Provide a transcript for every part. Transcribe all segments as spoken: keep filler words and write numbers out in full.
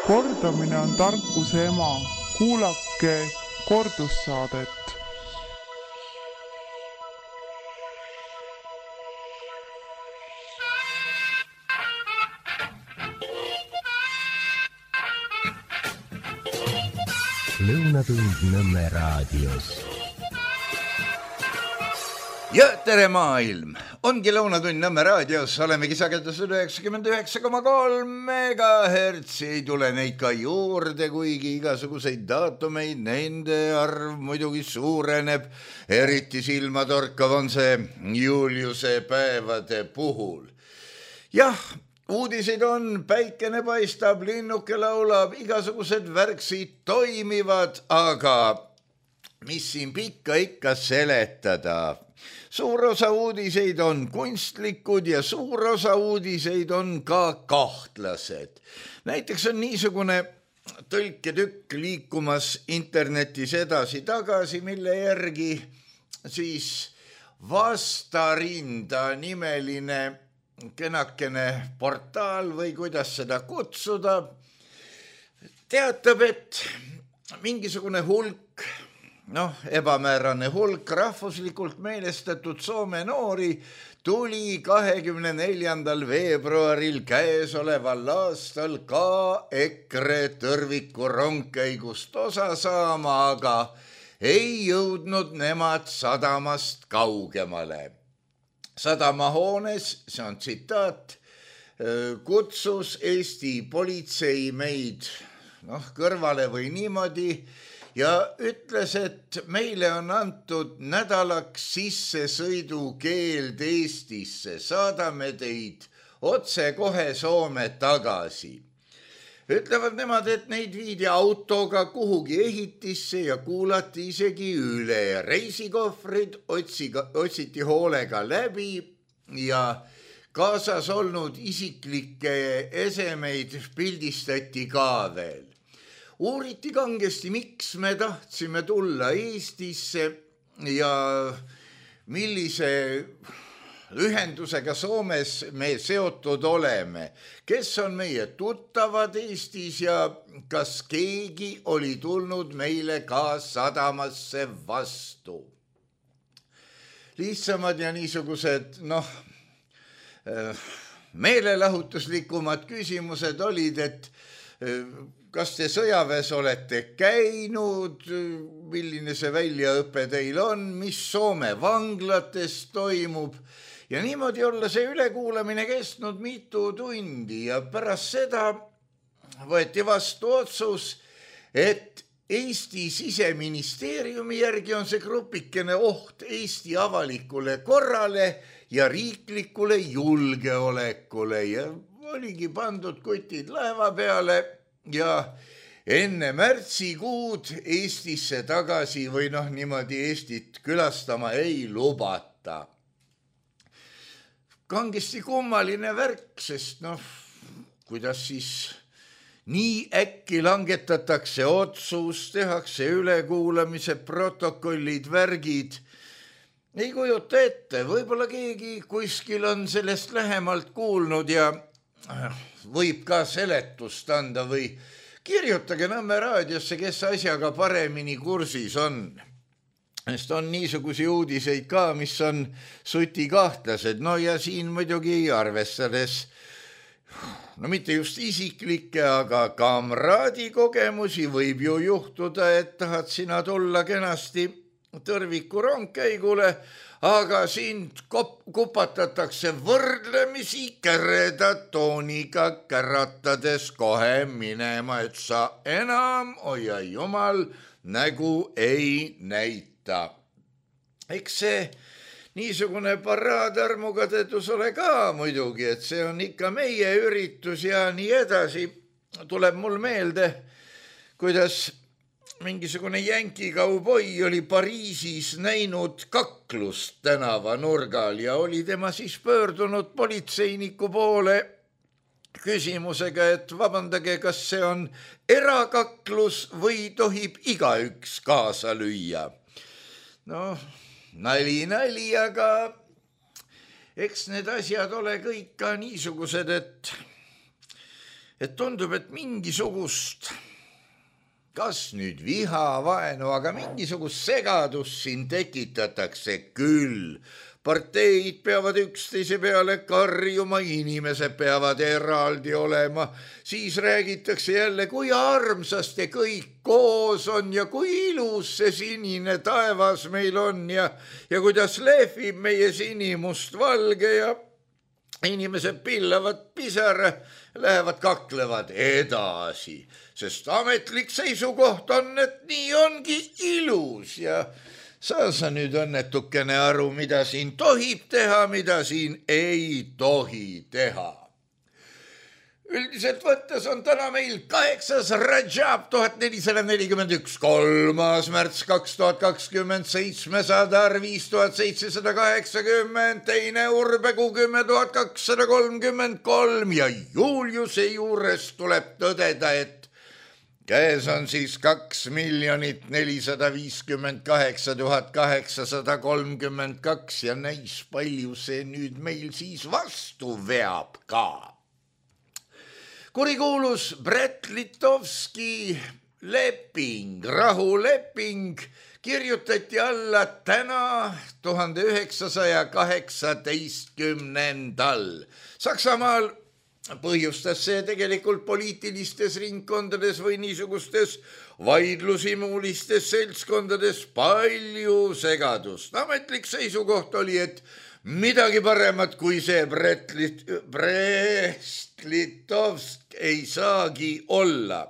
Kordamine on tarkuse ema. Kuulake kordussaadet. Lõunatund Nõmme raadios. Ja tere maailm! Ongi Lõunatund Nõmme raadios, olemegi sagedusel üheksakümmend üheksa koma kolm megahertsi, ei tule neid ka juurde, kuigi igasuguseid daatumeid, nende arv muidugi suureneb, eriti silmatorkav on see Juliuse päevade puhul. Jah, uudiseid on, päikene paistab, linnuke laulab, igasugused värksid toimivad, aga mis siin pikka ikka seletada? Suur osa uudiseid on kunstlikud ja suur osa uudiseid on ka kahtlased. Näiteks on niisugune tõlketükk liikumas internetis edasi-tagasi, mille järgi siis Vastarinda nimeline kenakene portaal või kuidas seda kutsuda, teatab, et mingisugune hulk, noh, ebamäärane hulk rahvuslikult meelestatud Soome noori tuli kahekümne neljandal veebruaril käesoleval aastal ka EKRE tõrviku rongkäigust osa saama, aga ei jõudnud nemad sadamast kaugemale. Sadamahoones, see on tsitaat, kutsus Eesti politsei meid noh, kõrvale või niimoodi ja ütles, et meile on antud nädalaks sissesõidukeeld Eestisse, saadame teid otse kohe Soome tagasi. Ütlevad nemad, et neid viidi autoga kuhugi ehitisse ja kuulati isegi üle. Reisikohvrid otsiga, otsiti hoolega läbi ja kaasas olnud isiklikke esemeid pildistati ka veel. Uuriti kangesti, miks me tahtsime tulla Eestisse ja millise ühendusega Soomes me seotud oleme, kes on meie tuttavad Eestis ja kas keegi oli tulnud meile ka sadamasse vastu. Lihtsamad ja niisugused, noh, meelelahutuslikumad küsimused olid, et kas te sõjaväes olete käinud, milline see väljaõpe teil on, mis Soome vanglates toimub. Ja niimoodi olla see ülekuulamine kestnud mitu tundi ja pärast seda võeti vastu otsus, et Eesti siseministeeriumi järgi on see grupikene oht Eesti avalikule korrale ja riiklikule julgeolekule ja oligi pandud kutid laeva peale ja enne märtsikuud Eestisse tagasi või noh, niimoodi Eestit külastama ei lubata. Kangesti kummaline värk, sest noh, kuidas siis nii äkki langetatakse otsus, tehakse ülekuulamise protokollid, värgid. Ei kujuta ette, võib-olla keegi kuskil on sellest lähemalt kuulnud ja võib ka seletust anda või kirjutage Nõmme raadiosse, kes asjaga paremini kursis on. Sest on niisugusi uudiseid ka, mis on suti kahtlased. No ja siin muidugi arvestades, no mitte just isiklikke, aga kamraadi kogemusi võib ju juhtuda, et tahad sina tulla kenasti tõrviku rongkäigule, aga sind kop- kupatatakse võrdlemisi kereda tooniga käratades kohe minema, et sa enam, oia jumal, nägu ei näita. Eks see niisugune paraadärmuga tõdus ole ka muidugi, et see on ikka meie üritus ja nii edasi. Tuleb mul meelde, kuidas mingisugune jänki kauboi oli Pariisis näinud kaklust tänava nurgal ja oli tema siis pöördunud politseiniku poole küsimusega, et vabandage, kas see on erakaklus või tohib igaüks kaasa lüüa. No, nali, nali, aga eks need asjad ole kõik ka niisugused, et et tundub, et mingisugust, kas nüüd viha, vaenu, aga mingisugust segadust siin tekitatakse küll. Parteid peavad üksteise peale karjuma, inimesed peavad eraldi olema, siis räägitakse jälle, kui armsasti kõik koos on ja kui ilus see sinine taevas meil on ja, ja kuidas lehvib meie sinimust valge ja inimesed pillavad pisara, lähevad kaklevad edasi, sest ametlik seisukoht on, et nii ongi ilus ja saa sa nüüd õnnetukene aru, mida siin tohib teha, mida siin ei tohi teha. Üldiselt võttes on täna meil kaheksas Rajab tuhat nelisada nelikümmend üks, kolmas märts kaks tuhat kakskümmend, seitsmesada viis tuhat seitsesada kaheksakümmend, teine Urbekuu kümme tuhat kakssada kolmkümmend kolm ja Juliuse juures tuleb tõdeda, et käes on siis kaks miljonit nelisada viiskümmend kaheksa tuhat kaheksasada kolmkümmend kaks ja näis palju see nüüd meil siis vastu veab ka. Kurikuulus Brest-Litovski leping, rahuleping kirjutati alla täna tuhande üheksasaja kaheksateistkümnendal. Saksamaal põhjustas see tegelikult poliitilistes ringkondades või niisugustes vaidlusimulistes seltskondades palju segadust. Ametlik seisukoht oli, et midagi paremat kui see Brest-Litovsk ei saagi olla.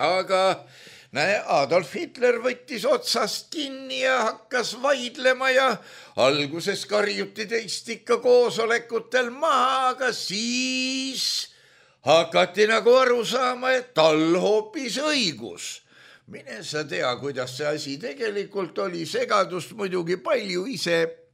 Aga näe, Adolf Hitler võttis otsast kinni ja hakkas vaidlema ja alguses karjuti teist ikka koosolekutel maha, aga siis hakati nagu aru saama, et tal hoopis õigus. Mine sa tea, kuidas see asi tegelikult oli, segadust muidugi palju ise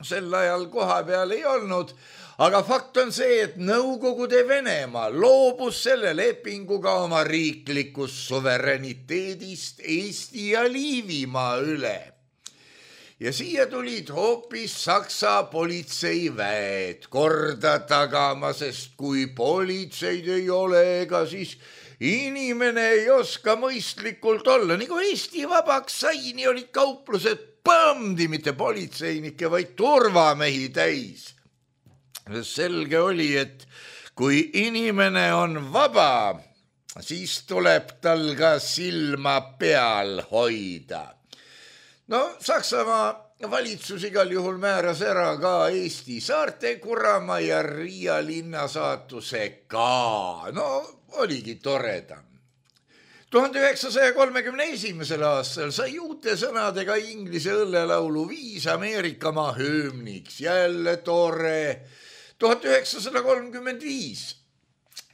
sel ajal koha peal ei olnud, aga fakt on see, et Nõukogude Venemaa loobus selle lepinguga oma riiklikust suvereniteedist Eesti ja Liivimaa üle. Ja siia tulid hoopis Saksa politseiväed korda tagama, sest kui politseid ei ole, ega siis inimene ei oska mõistlikult olla. Nii kui Eesti vabaks sai, nii olid kauplused põmdi, mitte politseinikke, vaid turvamehi täis. Selge oli, et kui inimene on vaba, siis tuleb tal ka silma peal hoida. No Saksamaa valitsus igal juhul määras ära ka Eesti saarte Kuramaa ja Riia linna saatuse ka. No oligi toredam. tuhande üheksasaja kolmekümne esimesel aastal sai uute sõnadega inglise õllelaulu viis Ameerikamaa hümniks. Jälle tore. tuhat üheksasada kolmkümmend viis.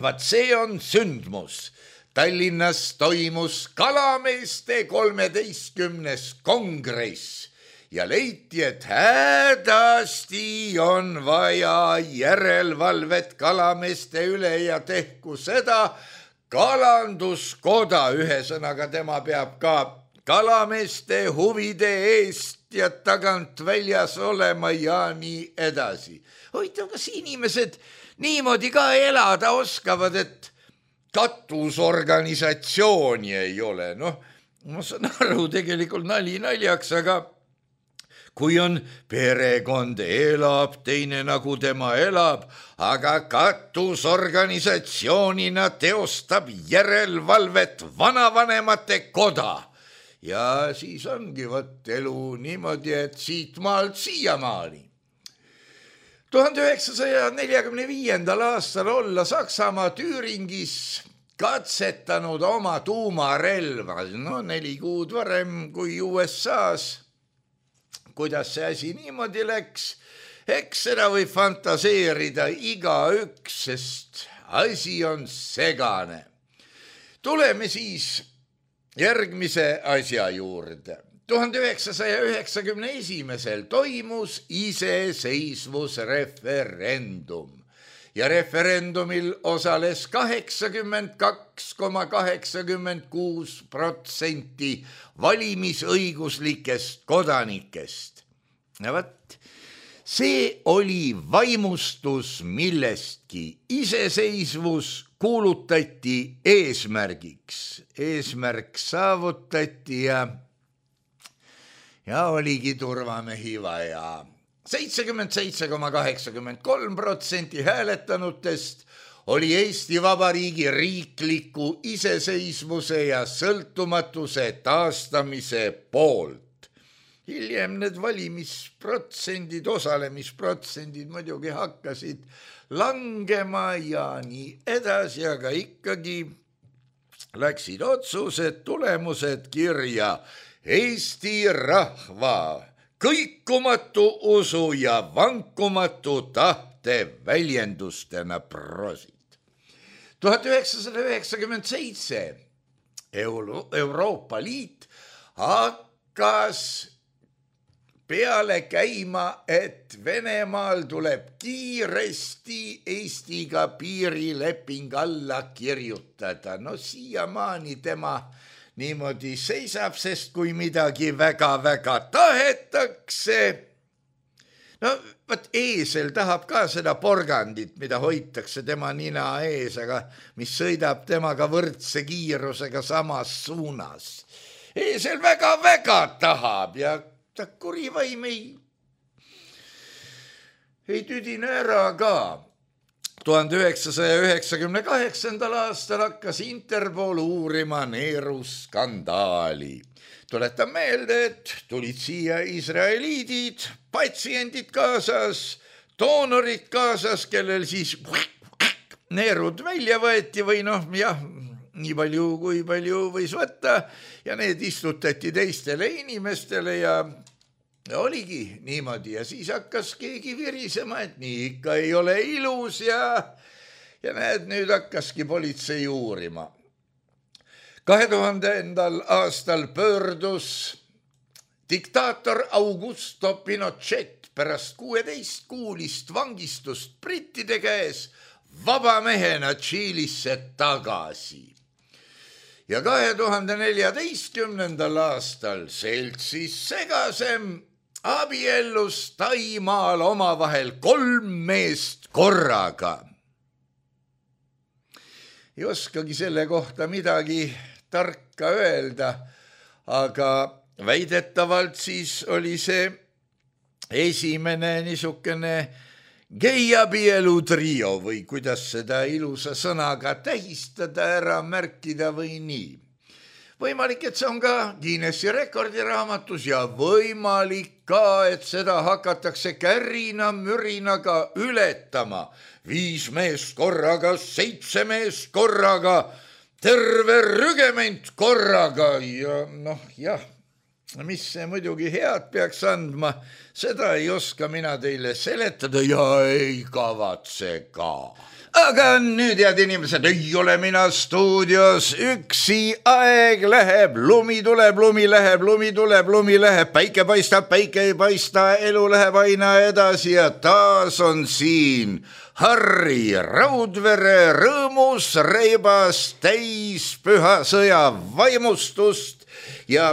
Vaat see on sündmus. Tallinnas toimus kalameeste kolmeteistkümnes kongress ja leiti, et hädasti on vaja järelevalvet kalameeste üle ja tehku seda kalanduskoda. Ühesõnaga tema peab ka kalameeste huvide eest ja tagant väljas olema ja nii edasi. Hoitav, kas inimesed niimoodi ka elada oskavad, et katusorganisatsiooni ei ole. Noh, ma saan aru, tegelikult nali naljaks, aga kui on perekond elab, teine nagu tema elab, aga katusorganisatsioonina teostab järelevalvet vanavanemate koda. Ja siis ongi võtt elu niimoodi, et siit maalt siiamaani. tuhande üheksasaja neljakümne viiendal aastal olla Saksamaa Tüüringis katsetanud oma tuumarelva, no neli kuud varem kui U S A-s. Kuidas see asi niimoodi läks? Eks seda võib fantaseerida igaüks, sest asi on segane. Tuleme siis järgmise asja juurde. tuhande üheksasaja üheksakümne esimesel toimus iseseisvusreferendum ja referendumil osales kaheksakümmend kaks koma kaheksakümmend kuus protsenti valimisõiguslikest kodanikest. Ja võt, see oli vaimustus millestki. Iseseisvus kuulutati eesmärgiks. Eesmärk saavutati ja, ja oligi turvamehi vaja. seitsekümmend seitse koma kaheksakümmend kolm protsenti hääletanutest oli Eesti Vabariigi riikliku iseseisvuse ja sõltumatuse taastamise poolt. Hiljem need valimisprotsendid, osalemisprotsendid muidugi hakkasid langema ja nii edasi, aga ikkagi läksid otsused, tulemused kirja. Eesti rahva kõikumatu usu ja vankumatu tahte väljendustena prosid. tuhat üheksasada üheksakümmend seitse Euro- Euroopa Liit hakkas peale käima, et Venemaal tuleb kiiresti Eestiga piirileping alla kirjutada. No siiamaani tema niimoodi seisab, sest kui midagi väga-väga tahetakse, no võt eesel tahab ka seda porgandit, mida hoitakse tema nina ees, aga mis sõidab temaga võrdse kiirusega samas suunas. Eesel väga-väga tahab ja ta kurivaim ei, ei tüdine ära ka. tuhande üheksasaja üheksakümne kaheksandal aastal hakkas Interpol uurima Neeru skandaali. Tuletan meelde, et tulid siia israeliidid, patsiendid kaasas, doonorid kaasas, kellel siis neerud välja võeti või noh, jah, nii palju kui palju võis võtta ja need istutati teistele inimestele ja Ja oligi niimoodi ja siis hakkas keegi virisema, et nii ikka ei ole ilus ja, ja näed, nüüd hakkaski politsei uurima. kahe tuhandendal aastal pöördus diktaator Augusto Pinochet pärast kuueteist kuulist vangistust brittide käes vaba mehena Tšiilisse tagasi. Ja kahe tuhande neljateistkümnendal aastal seltsis segasem abiellus Taimaal omavahel kolm meest korraga. Ei oskagi selle kohta midagi tarka öelda, aga väidetavalt siis oli see esimene niisugune geiabielu trio või kuidas seda ilusa sõnaga tähistada, ära märkida või nii. Võimalik, et see on ka Guinessi rekordiraamatus ja võimalik ka, et seda hakatakse kärina mürinaga ületama. Viis meest korraga, seitse meest korraga, terve rügement korraga ja noh, jah, mis see muidugi head peaks andma, seda ei oska mina teile seletada ja ei kavatse ka. Aga nüüd, head inimesed, ei ole mina stuudios üksi, aeg läheb, lumi tuleb, lumi läheb, lumi tuleb, lumi läheb, päike paistab, päike ei paista, elu läheb aina edasi ja taas on siin Harri Raudvere rõõmus, reibas, täis püha sõja vaimustust ja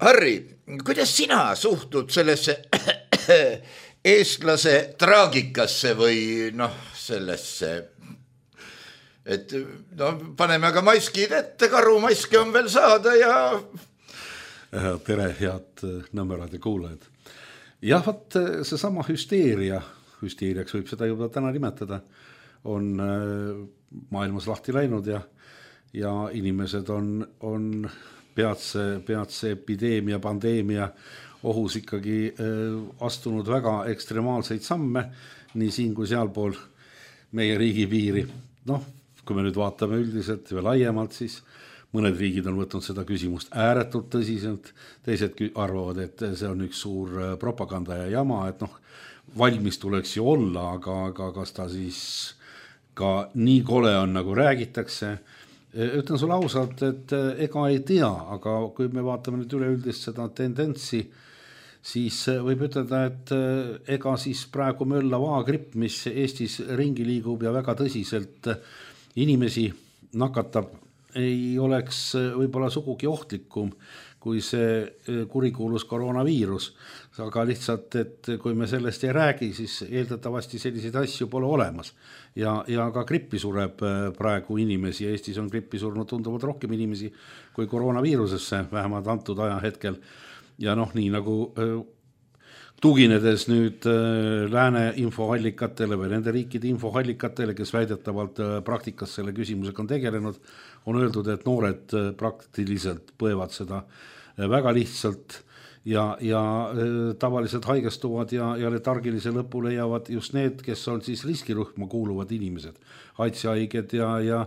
Harri, kuidas sina suhtud sellesse eestlase traagikasse või noh, sellesse... Et no, paneme aga maskid ette, karumaski on veel saada ja... Tere, head Nõmmerad ja kuulajad. Jah, võt see sama hüsteeria, hüsteeriaks võib seda juba täna nimetada, on maailmas lahti läinud ja, ja inimesed on, on peatse, peatse epideemia, pandeemia ohus ikkagi astunud väga ekstremaalseid samme, nii siin kui sealpool meie riigi piiri. Noh, kui me nüüd vaatame üldiselt või laiemalt, siis mõned riigid on võtnud seda küsimust ääretult tõsiselt, teised arvavad, et see on üks suur propaganda ja jama, et noh, valmis tuleks ju olla, aga, aga kas ta siis ka nii kole on, nagu räägitakse. Ütlen sulle ausalt, et ega ei tea, aga kui me vaatame nüüd üleüldist seda tendentsi, siis võib ütelda, et ega siis praegu möllav A-gripp, mis Eestis ringi liigub ja väga tõsiselt inimesi nakatab, ei oleks võib-olla sugugi ohtlikum kui see kurikuulus koroonaviirus, aga lihtsalt, et kui me sellest ei räägi, siis eeldatavasti selliseid asju pole olemas ja, ja ka grippi sureb praegu inimesi, Eestis on grippi surnud tunduvalt rohkem inimesi kui koroonaviirusesse, vähemalt antud aja hetkel ja noh, nii nagu tuginedes nüüd lääne infoallikatele või nende riikide infoallikatele, kes väidetavalt praktikas selle küsimusega on tegelenud, on öeldud, et noored praktiliselt põevad seda väga lihtsalt ja, ja tavaliselt haigestuvad ja, ja letargilise lõpu leiavad just need, kes on siis riskirühma kuuluvad inimesed, haitshaiged ja, ja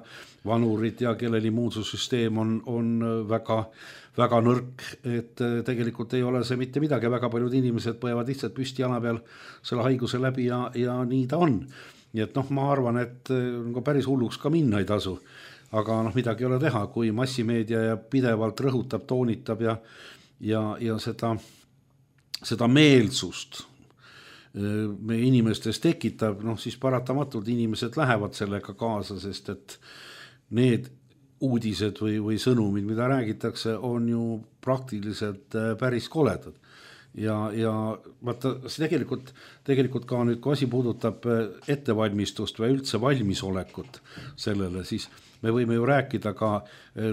vanurid ja kellel immuunsussüsteem on, on väga väga nõrk, et tegelikult ei ole see mitte midagi, väga paljud inimesed põevad lihtsalt püsti jala peal selle haiguse läbi ja, ja nii ta on. Nii et noh, ma arvan, et päris hulluks ka minna ei tasu, aga noh, midagi ei ole teha, kui massimeedia ja pidevalt rõhutab, toonitab ja, ja, ja seda, seda meelsust meie inimestes tekitab, noh siis paratamatult inimesed lähevad sellega kaasa, sest et need uudised või, või sõnumid, mida räägitakse, on ju praktiliselt päris koledad. Ja, ja vaata, see tegelikult, tegelikult ka nüüd, kui asi puudutab ettevalmistust või üldse valmisolekut sellele, siis me võime ju rääkida ka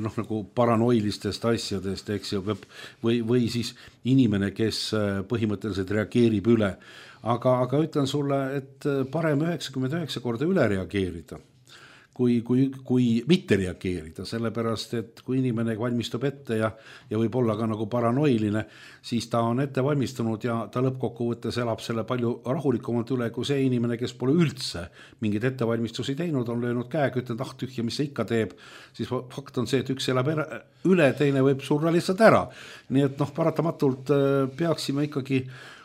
noh, nagu paranoilistest asjadest, eks ju, või, või siis inimene, kes põhimõtteliselt reageerib üle. Aga, aga ütlen sulle, et parem üheksakümmend üheksa korda üle reageerida, kui, kui, kui mitte reageerida, sellepärast, et kui inimene valmistub ette ja, ja võib olla ka nagu paranoiline, siis ta on ette valmistunud ja ta lõppkokkuvõttes elab selle palju rahulikumalt üle, kui see inimene, kes pole üldse mingid ettevalmistusi teinud, on löönud käega, ütlenud, ah tühja, mis see ikka teeb, siis fakt on see, et üks elab üle, teine võib surra lihtsalt ära. Nii et noh, paratamatult peaksime ikkagi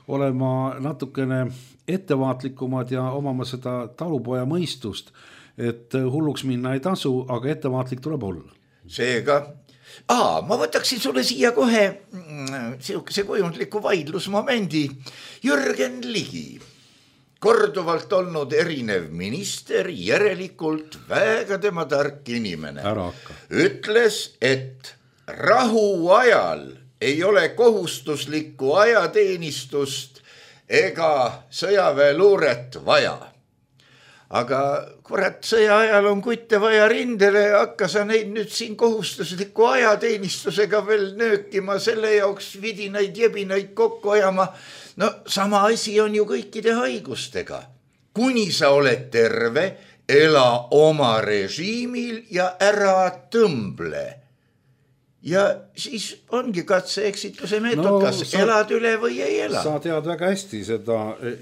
olema natukene ettevaatlikumad ja omama seda talupoja mõistust, et hulluks minna ei tasu, aga ettevaatlik tuleb olla. Seega, aa, ma võtaksin sulle siia kohe see kujundliku vaidlusmomendi. Jürgen Ligi, korduvalt olnud erinev minister, järelikult väga tema tark inimene, ütles, et rahu ajal ei ole kohustuslikku ajateenistust ega sõjaväeluuret vaja. Aga kurat, sõja ajal on kutte vaja rindele, hakka sa neid nüüd siin kohustusliku ajateenistusega veel nöökima, selle jaoks vidinaid jebinaid kokku ajama. No sama asi on ju kõikide haigustega. Kuni sa oled terve, ela oma režiimil ja ära tõmble. Ja siis ongi katse eksituse meetod, no, kas sa, elad üle või ei ela. Sa tead väga hästi seda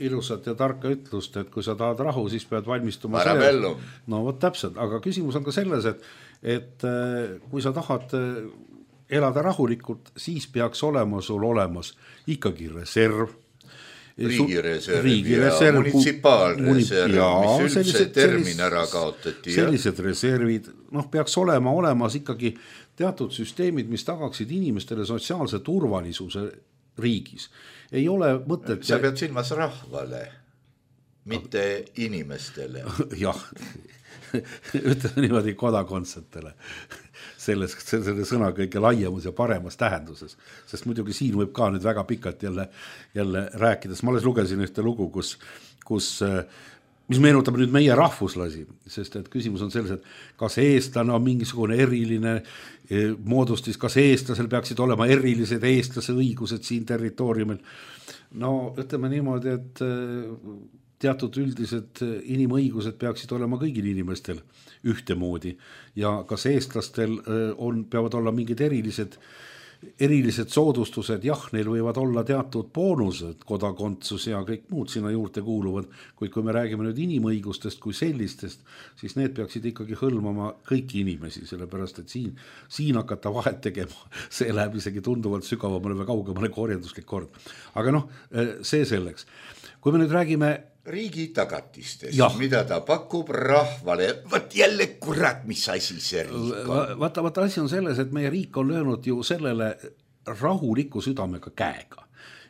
ilusat ja tarka ütlust, et kui sa tahad rahu, siis pead valmistuma Marabellum. No vot täpselt, aga küsimus on ka selles, et, et kui sa tahad elada rahulikult, siis peaks olema sul olemas ikkagi reserv, riigireserv riigi ja munitsipaalreserv, mis üldse termin ära kaotati. Sellised reservid, noh, peaks olema olemas ikkagi teatud süsteemid, mis tagaksid inimestele sotsiaalse turvalisuse riigis. Ei ole mõtet... Sa pead silmas rahvale, mitte inimestele. Jah, ütleme niimoodi kodakondsetele. Selles, selle sõna kõige laiemus ja paremas tähenduses. Sest muidugi siin võib ka nüüd väga pikalt jälle, jälle rääkides. Ma alles lugesin ühte lugu, kus, kus mis meenutab nüüd meie rahvuslasi, sest et küsimus on selles, et kas eestlane on mingisugune eriline moodustis, kas eestlasel peaksid olema erilised eestlase õigused siin territooriumil. No ütleme niimoodi, et teatud üldised inimõigused peaksid olema kõigil inimestel ühtemoodi ja kas eestlastel on, peavad olla mingid erilised erilised soodustused, jah, neil võivad olla teatud boonused, kodakondsus ja kõik muud sinna juurde kuuluvad, kuid kui me räägime nüüd inimõigustest kui sellistest, siis need peaksid ikkagi hõlmama kõiki inimesi, sellepärast et siin, siin hakata vahet tegema, see läheb isegi tunduvalt sügavamale või kaugemale korjenduslik kord. Aga noh, see selleks. Kui me nüüd räägime riigi tagatistest, mida ta pakub rahvale, võt jälle kurat, mis asi see riik on. Vaata, vaata asi on selles, et meie riik on löönud ju sellele rahuliku südamega käega.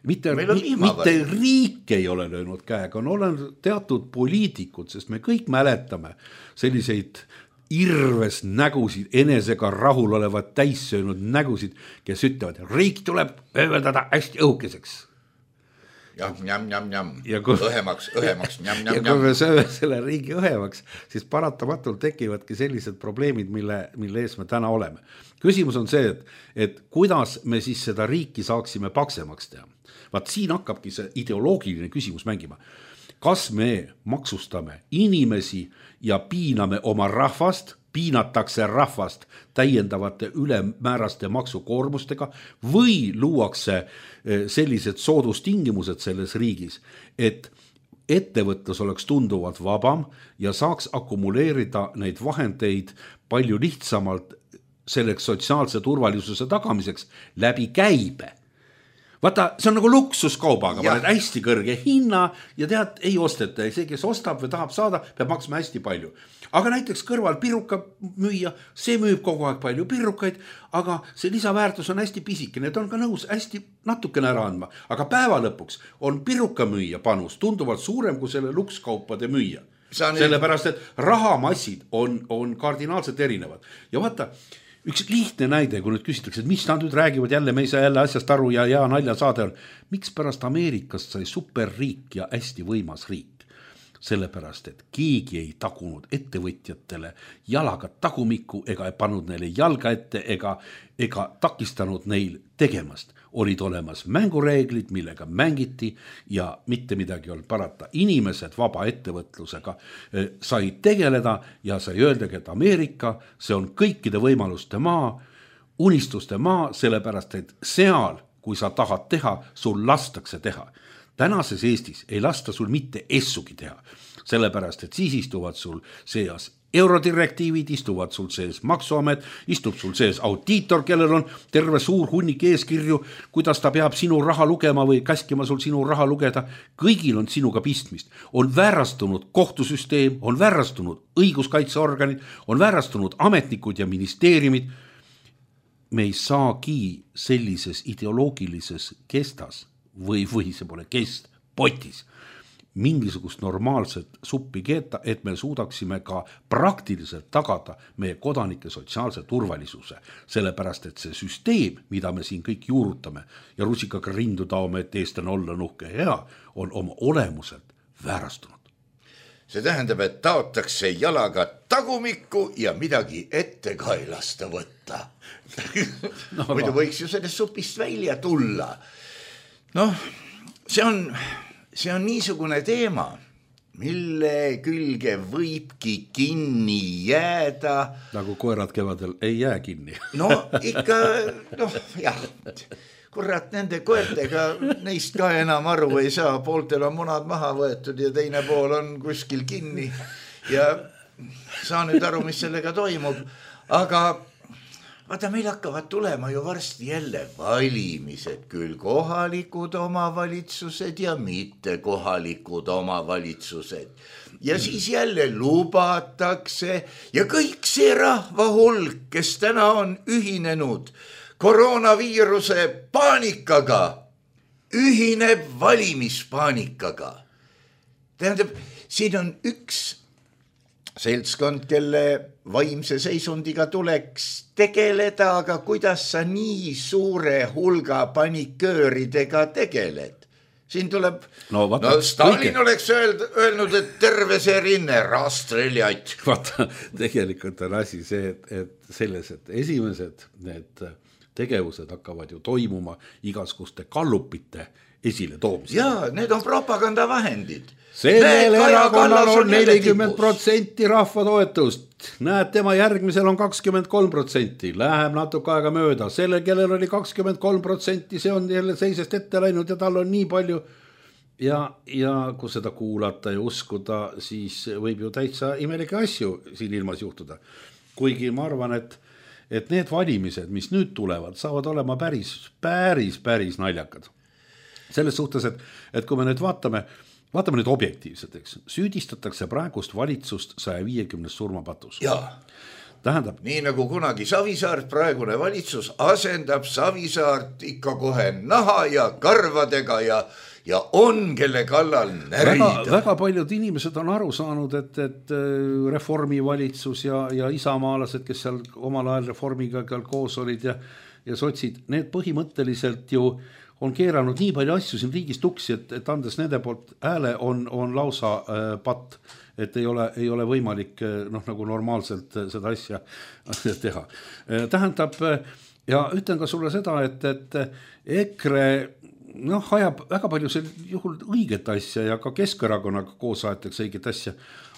Mitte, mitte riik ei ole löönud käega, on olen teatud poliitikud, sest me kõik mäletame selliseid irves nägusid, enesega rahul olevad täissöönud nägusid, kes ütlevad, riik tuleb ööveldada hästi õhukeseks. jah, njam, njam, njam, kui, õhemaks, õhemaks, njam, njam, ja kui me sööme selle riigi õhemaks, siis paratamatult tekivadki sellised probleemid, mille, mille ees me täna oleme. Küsimus on see, et, et kuidas me siis seda riiki saaksime paksemaks teha. Vaat siin hakkabki see ideoloogiline küsimus mängima. Kas me maksustame inimesi ja piiname oma rahvast, piinatakse rahvast täiendavate ülemääraste maksukoormustega või luuakse sellised soodustingimused selles riigis, et ettevõtlus oleks tunduvalt vabam ja saaks akumuleerida neid vahendeid palju lihtsamalt selleks sotsiaalse turvalisuse tagamiseks läbi käibe. Vaata, see on nagu luksuskaubaga, paned hästi kõrge hinna ja tead, ei osteta. See, kes ostab või tahab saada, peab maksma hästi palju. Aga näiteks kõrval piruka müüa, see müüb kogu aeg palju pirukaid, aga see lisaväärtus on hästi pisike. Need on ka nõus hästi natukene ära andma. Aga päeva lõpuks on piruka müüa panus tunduvalt suurem kui selle lukskaupade müüa. Sellepärast, et rahamassid on, on kardinaalselt erinevad. Ja vaata, üks lihtne näide, kui nüüd küsitakse, et mis nad nüüd räägivad jälle, me ei saa jälle asjast aru ja hea nalja saade on. Miks pärast Ameerikast sai superriik ja hästi võimas riik? Sellepärast, et keegi ei tagunud ettevõtjatele jalaga tagumikku ega ei pannud neile jalga ette ega, ega takistanud neil tegemast. Olid olemas mängureeglid, millega mängiti ja mitte midagi olnud parata. Inimesed vaba ettevõtlusega sai tegeleda ja sai öeldagi, et Ameerika, see on kõikide võimaluste maa, unistuste maa, sellepärast, et seal, kui sa tahad teha, sul lastakse teha. Tänases Eestis ei lasta sul mitte essugi teha, sellepärast, et siis istuvad sul seas eurodirektiivid, istuvad sul sees maksuamet, istub sul sees audiitor, kellel on terve suur hunnik eeskirju, kuidas ta peab sinu raha lugema või käskima sul sinu raha lugeda. Kõigil on sinuga pistmist. On väärastunud kohtusüsteem, on väärastunud õiguskaitseorganid, on väärastunud ametnikud ja ministeeriumid. Me ei saagi sellises ideoloogilises kestas või, või see pole kest, potis mingisugust normaalset suppi keeta, et me suudaksime ka praktiliselt tagada meie kodanike sotsiaalse turvalisuse. Sellepärast, et see süsteem, mida me siin kõik juurutame ja rusikaga rindu taome, et eestlane olla nuhke hea, on oma olemuselt väärastunud. See tähendab, et taotakse jalaga tagumikku ja midagi ette ka ei lasta võtta. No, muidu võiks ju sellest supist välja tulla. Noh, see on... See on niisugune teema, mille külge võibki kinni jääda. Nagu koerad kevadel ei jää kinni. No ikka, noh jah, kurat nende koertega neist ka enam aru ei saa. Pooltel on munad maha võetud ja teine pool on kuskil kinni. Ja saa nüüd aru, mis sellega toimub. Aga vaata, meil hakkavad tulema ju varsti jälle valimised, küll kohalikud omavalitsused ja mitte kohalikud omavalitsused. Ja siis jälle lubatakse ja kõik see rahva hulk, kes täna on ühinenud koroonaviiruse paanikaga, ühineb valimispaanikaga. Tähendab, siin on üks seltskond, kelle vaimse seisundiga tuleks tegeleda, aga kuidas sa nii suure hulga panikööridega tegeled? Siin tuleb, no, vaata, no Stalin kõike oleks öeld, öelnud, et terve see rinne rastreljaid. Vaata, tegelikult on asi see, et, et selles, et esimesed need tegevused hakkavad ju toimuma igaskuste kallupite esile toomisel. Jaa, need on propagandavahendid. Sellel erakonnal on nelikümmend protsenti rahva toetust. Näed, tema järgmisel on kakskümmend kolm protsenti. Läheb natuke aega mööda. Sellel, kellel oli kakskümmend kolm protsenti, see on jälle seisest ette läinud ja tal on nii palju. Ja, ja kui seda kuulata ja uskuda, siis võib ju täitsa imelike asju siin ilmas juhtuda. Kuigi ma arvan, et, et need valimised, mis nüüd tulevad, saavad olema päris, päris, päris naljakad. Selles suhtes, et, et kui me nüüd vaatame, vaatame nüüd objektiivselt, eks, süüdistatakse praegust valitsust saja viiekümne surmapatus. Jaa. tähendab. Nii nagu kunagi Savisaart, praegune valitsus asendab Savisaart ikka kohe naha ja karvadega ja ja on, kelle kallal närida. Väga, väga paljud inimesed on aru saanud, et, et reformi valitsus ja, ja isamaalased, kes seal omal ajal reformiga koos olid ja, ja sotsid, need põhimõtteliselt ju on keeranud nii palju asju siin riigis tuksi, et, et andes nende poolt hääle on, on lausa äh, patt, et ei ole, ei ole võimalik noh, nagu normaalselt seda asja teha. Tähendab, ja ütlen ka sulle seda, et, et EKRE noh, ajab väga palju sel juhul õiget asja ja ka Keskerakonnaga koos aetakse õiget asja,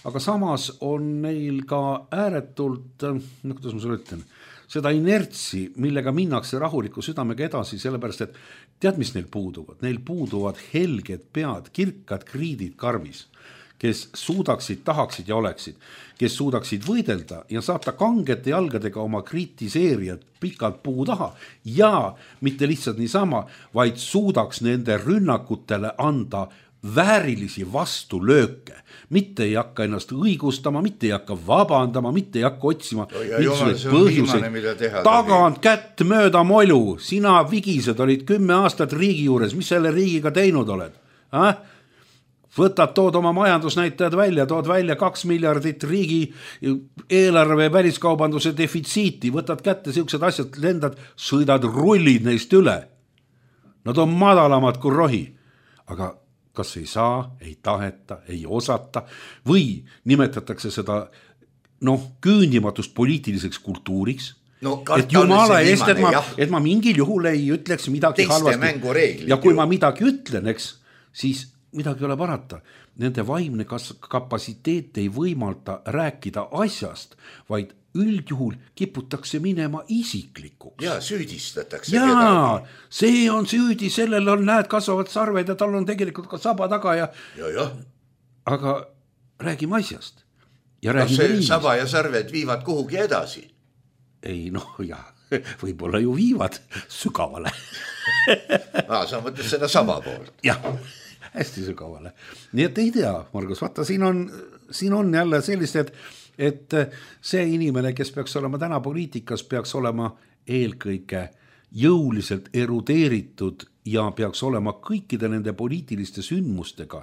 aga samas on neil ka ääretult, no kuidas ma sulle ütlen, seda inertsi, millega minnakse rahuliku südamega edasi, sellepärast, et tead, mis neil puuduvad? Neil puuduvad helged pead, kirkad kriidid karvis, kes suudaksid, tahaksid ja oleksid, kes suudaksid võidelda ja saata kangete jalgadega oma kritiseerijad pikalt puu taha ja mitte lihtsalt niisama, vaid suudaks nende rünnakutele anda väärilisi vastulööke. Mitte ei hakka ennast õigustama, mitte ei hakka vabandama, mitte ei hakka otsima põhjuseid. Tagant kätt mööda molu, sina vigised olid kümme aastat riigi juures, mis selle riigiga teinud oled? Äh? Võtad, tood oma majandusnäitajad välja, tood välja kaks miljardit riigi eelarve väliskaubanduse defitsiiti, võtad kätte siuksed asjad, lendad, sõidad, rullid neist üle. Nad on madalamad kui rohi, aga kas ei saa, ei taheta, ei osata või nimetatakse seda noh, küündimatust poliitiliseks kultuuriks, no, et jumala eest, et ma, et ma mingil juhul ei ütleks midagi halvasti. Ja kui ma midagi ütlen, eks, siis midagi ei ole parata. Nende vaimne kapasiteet ei võimalda rääkida asjast, vaid üldjuhul kiputakse minema isiklikuks. Ja süüdistatakse ja, kedagi. See on süüdi, sellel on näed kasvavad sarved ja tal on tegelikult ka saba taga ja, ja, ja. Aga räägime asjast. Ja no see riigist. Saba ja sarved viivad kuhugi edasi. Ei noh, jah, võib-olla ju viivad sügavale. Aa, sa mõtled seda saba poolt. Jah. Hästi sügavale. Nii et ei tea, Margus, vaata, siin on, siin on jälle sellist, et, et see inimene, kes peaks olema täna poliitikas, peaks olema eelkõige jõuliselt erudeeritud ja peaks olema kõikide nende poliitiliste sündmustega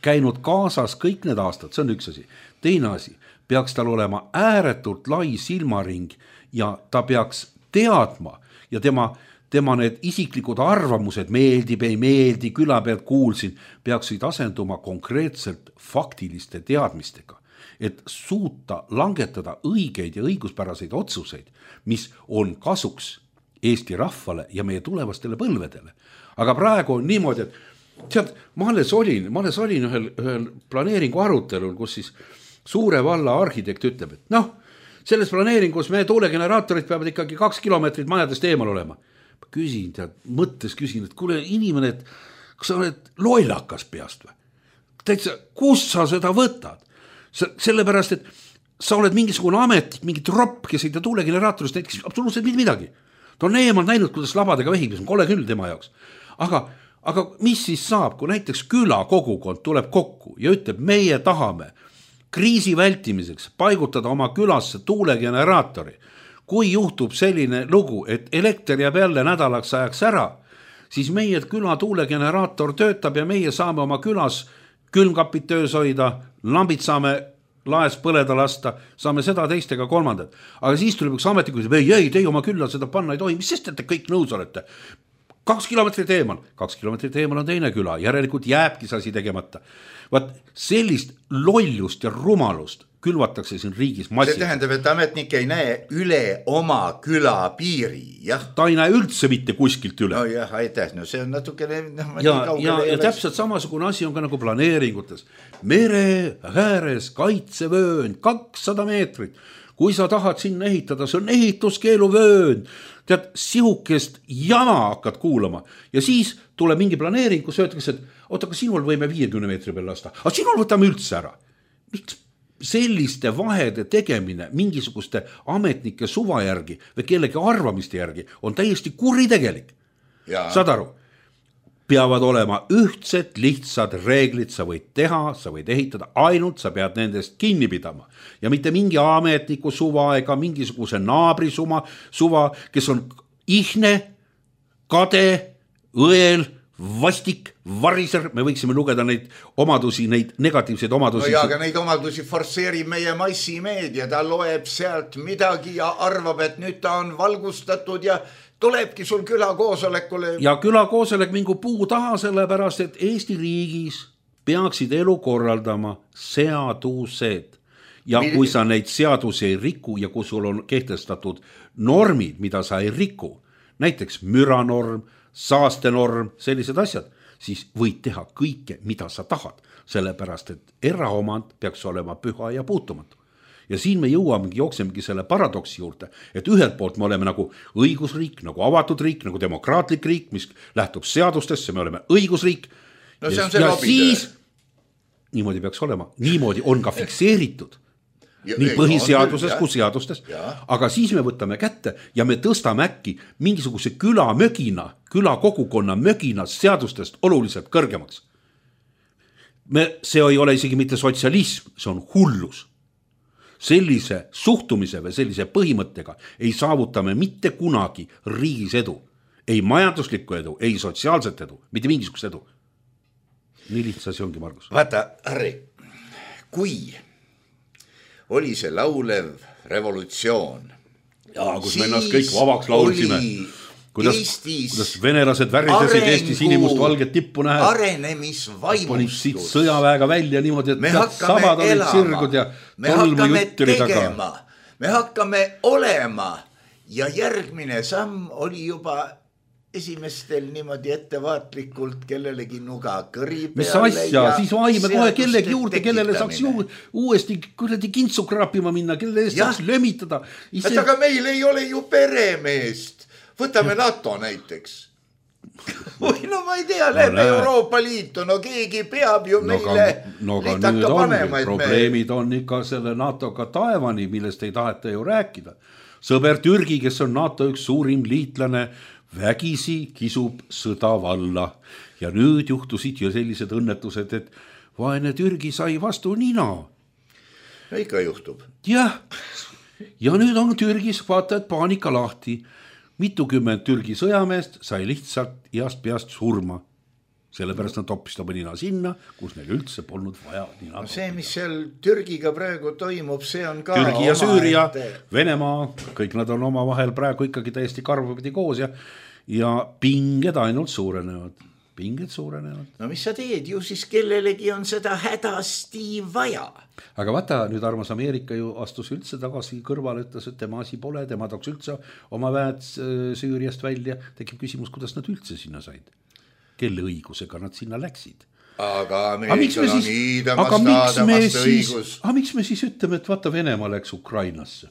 käinud kaasas kõik need aastad, see on üks asi. Teine asi, peaks tal olema ääretult lai silmaring ja ta peaks teadma ja tema tema need isiklikud arvamused, meeldib, ei meeldi, küla pealt kuulsin, peaksid asenduma konkreetselt faktiliste teadmistega, et suuta langetada õigeid ja õiguspäraseid otsuseid, mis on kasuks Eesti rahvale ja meie tulevastele põlvedele. Aga praegu on niimoodi, et tead, ma alles olin, ma alles olin ühel, ühel planeeringu arutelul, kus siis suure valla arhitekt ütleb, et noh, selles planeeringus me tuulegeneraatorid peavad ikkagi kaks kilomeetrit majadest eemal olema. Küsin, tead, mõttes küsin, et kuule inimene, et kas sa oled loilakas peast või? Täitsa, kus sa seda võtad? Sellepärast, et sa oled mingisugune ametlik, mingi tropp, kes ei tea tuulegeneraatorist näiteks absoluutselt midagi. Ta on eemal näinud, kuidas labadega vehib, see on kole küll tema jaoks. Aga, aga mis siis saab, kui näiteks küla kogukond tuleb kokku ja ütleb, meie tahame kriisi vältimiseks paigutada oma külasse tuulegeneraatori. Kui juhtub selline lugu, et elekter jääb jälle nädalaks ajaks ära, siis meie küla tuulegeneraator töötab ja meie saame oma külas külmkapid töös hoida, lambid saame laes põleda lasta, saame seda teistega kolmandat. Aga siis tuleb üks ametnik, et ei, ei, teie oma külla seda panna ei tohi, mis sest, et te kõik nõus olete? Kaks kilomeetrit eemal, kaks kilomeetrit eemal on teine küla, järelikult jääbki see asi tegemata. Vaat sellist lollust ja rumalust külvatakse siin riigis massi. See tähendab, et ametnik ei näe üle oma küla piiri, jah? Ta ei näe üldse mitte kuskilt üle. No jah, aitäh, no see on natukene... No, ja ja, ja täpselt samasugune asi on ka nagu planeeringutes. Mere ääres kaitsevöön, kakssada meetrit. Kui sa tahad sinna ehitada, see on ehituskeeluvöön. Tead, sihukest jama hakkad kuulama. Ja siis tuleb mingi planeering, kus öeldakse, et oota, aga sinul võime viiekümne meetri peal lasta. Aga sinul võtame üldse ära. Miks? Selliste vahede tegemine mingisuguste ametnike suva järgi või kellegi arvamiste järgi on täiesti kuritegelik. Saad aru? peavad olema ühtsed, lihtsad reeglid, sa võid teha, sa võid ehitada, ainult sa pead nendest kinni pidama. Ja mitte mingi ametniku suva ega mingisuguse naabri suma, suva, kes on ihne, kade, õel, vastik, variser, me võiksime lugeda neid omadusi, neid negatiivseid omadusi. No ja, aga neid omadusi forsseerib meie massimeedia, ta loeb sealt midagi ja arvab, et nüüd ta on valgustatud ja tulebki sul külakoosolekule. Ja külakoosolek mingu puu taha, sellepärast, et Eesti riigis peaksid elu korraldama seadused. Ja kui sa neid seadusi ei riku ja kui sul on kehtestatud normid, mida sa ei riku, näiteks müranorm, saastenorm, sellised asjad, siis võid teha kõike, mida sa tahad, sellepärast, et eraomand peaks olema püha ja puutumatu. Ja siin me jõuamegi, jooksemegi selle paradoksi juurde, et ühelt poolt me oleme nagu õigusriik, nagu avatud riik, nagu demokraatlik riik, mis lähtub seadustesse, me oleme õigusriik. No ja, ja siis, niimoodi peaks olema, niimoodi on ka fikseeritud. Ja, nii põhiseaduses kui seadustes, aga siis me võtame kätte ja me tõstame äkki mingisuguse küla mögina, küla kogukonna mögina seadustest oluliselt kõrgemaks. Me, see ei ole isegi mitte sotsialism, see on hullus. Sellise suhtumise või sellise põhimõttega ei saavutame mitte kunagi riigis edu. Ei majanduslikku edu, ei sotsiaalset edu, mitte mingisugust edu. Nii lihtsa see ongi, Margus. Vaata, Harri, kui oli see laulev revolutsioon. Ja, kus me ennast kõik vabaks laulsime. Kuidas, kuidas venelased värisesid Eesti sinimust valget tippu nähes. Arenemisvaimustus. Panid siit sõjaväega välja niimoodi, et sabad olid sirgud ja tolmu jutturi taga. Me hakkame olema ja järgmine samm oli juba esimestel niimoodi ettevaatlikult kellelegi nuga kõri peale. Mis asja, siis vaime kohe kellegi juurde, kellele saaks ju uuesti kuradi kintsu krapima minna, kellele saaks lömitada. Ise... aga meil ei ole ju peremeest. Võtame NATO näiteks. Või no ma ei tea, lähme no, Euroopa Liitu, no keegi peab ju no, meile no, litaka panema. Probleemid me... on ikka selle NATOga taevani, millest ei taheta ju rääkida. Sõber Türgi, kes on NATO üks suurim liitlane, vägisi kisub sõda valla ja nüüd juhtusid ju sellised õnnetused, et vaene Türgi sai vastu nina. Ja ikka juhtub. Jah, ja nüüd on Türgis vaata, et paanika lahti. Mitukümmend Türgi sõjameest sai lihtsalt iast peast surma. Sellepärast nad toppisid oma nina sinna, kus neil üldse polnud vaja nina. No see, mis seal Türgiga praegu toimub, see on ka Türgi ja Süüria, ette... Venemaa, kõik nad on oma vahel praegu ikkagi täiesti karvapidi koos ja, ja pinged ainult suurenevad. Pinged suurenevad. No mis sa teed, ju siis kellelegi on seda hädasti vaja. Aga vaata, nüüd armas Ameerika ju astus üldse tagasi kõrvale, ütles, et tema asi pole, tema tooks üldse oma väed Süüriast välja. Tekib küsimus, kuidas nad üldse sinna said. Kelle õigusega nad sinna läksid. Aga Ameerikal on iidamast aadamast õigus. Aga miks me siis ütleme, et vaata Venemaa läks Ukrainasse?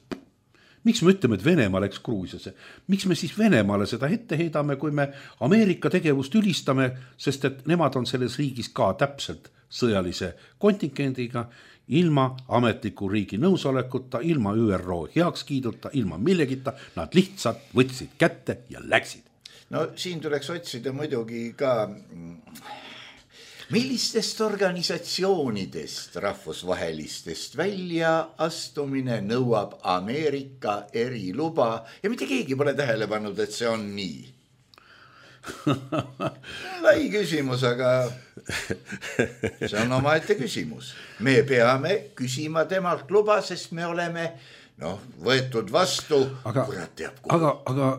Miks me ütleme, et Venemaa läks Gruusiasse? Miks me siis Venemaale seda ette heidame, kui me Ameerika tegevust ülistame, sest et nemad on selles riigis ka täpselt sõjalise kontingendiga, ilma ametliku riigi nõusolekuta, ilma Ü R O heakskiiduta, ilma millegita, nad lihtsalt võtsid kätte ja läksid. No siin tuleks otsida muidugi ka, millistest organisatsioonidest rahvusvahelistest välja astumine nõuab Ameerika eriluba ja mitte keegi pole tähele pannud, et see on nii. Lai küsimus, aga see on omaette küsimus. Me peame küsima temalt luba, sest me oleme no, võetud vastu. Aga, aga, aga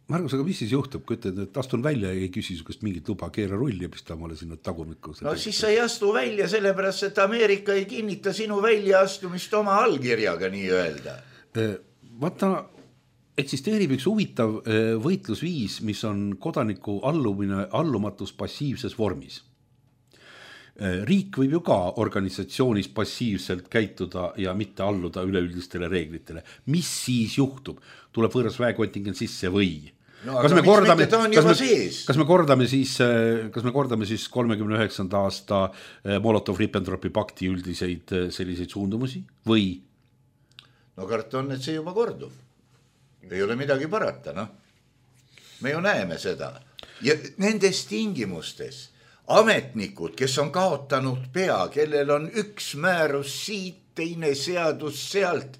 Margus, aga mis siis juhtub, kui ütled, et astun välja ja ei küsi sugust mingit luba, keera rulli ja pista mulle sinna tagumikku? No siis sa ei astu välja sellepärast, et Ameerika ei kinnita sinu väljaastumist oma allkirjaga nii öelda. Vaata, eksisteerib üks huvitav võitlusviis, mis on kodaniku allumine, allumatus passiivses vormis. Riik võib ju ka organisatsioonis passiivselt käituda ja mitte alluda üleüldistele reeglitele. Mis siis juhtub? Tuleb võõras väekontingent sisse või? No, kas, me kordame, kas, me, kas me kordame siis, kas me kordame siis kolmekümne üheksanda aasta Molotov-Ribbentropi pakti üldiseid selliseid suundumusi või? No kart on, et see juba kordub. Ei ole midagi parata, noh. Me ju näeme seda. ja nendes tingimustes ametnikud, kes on kaotanud pea, kellel on üks määrus siit, teine seadus sealt,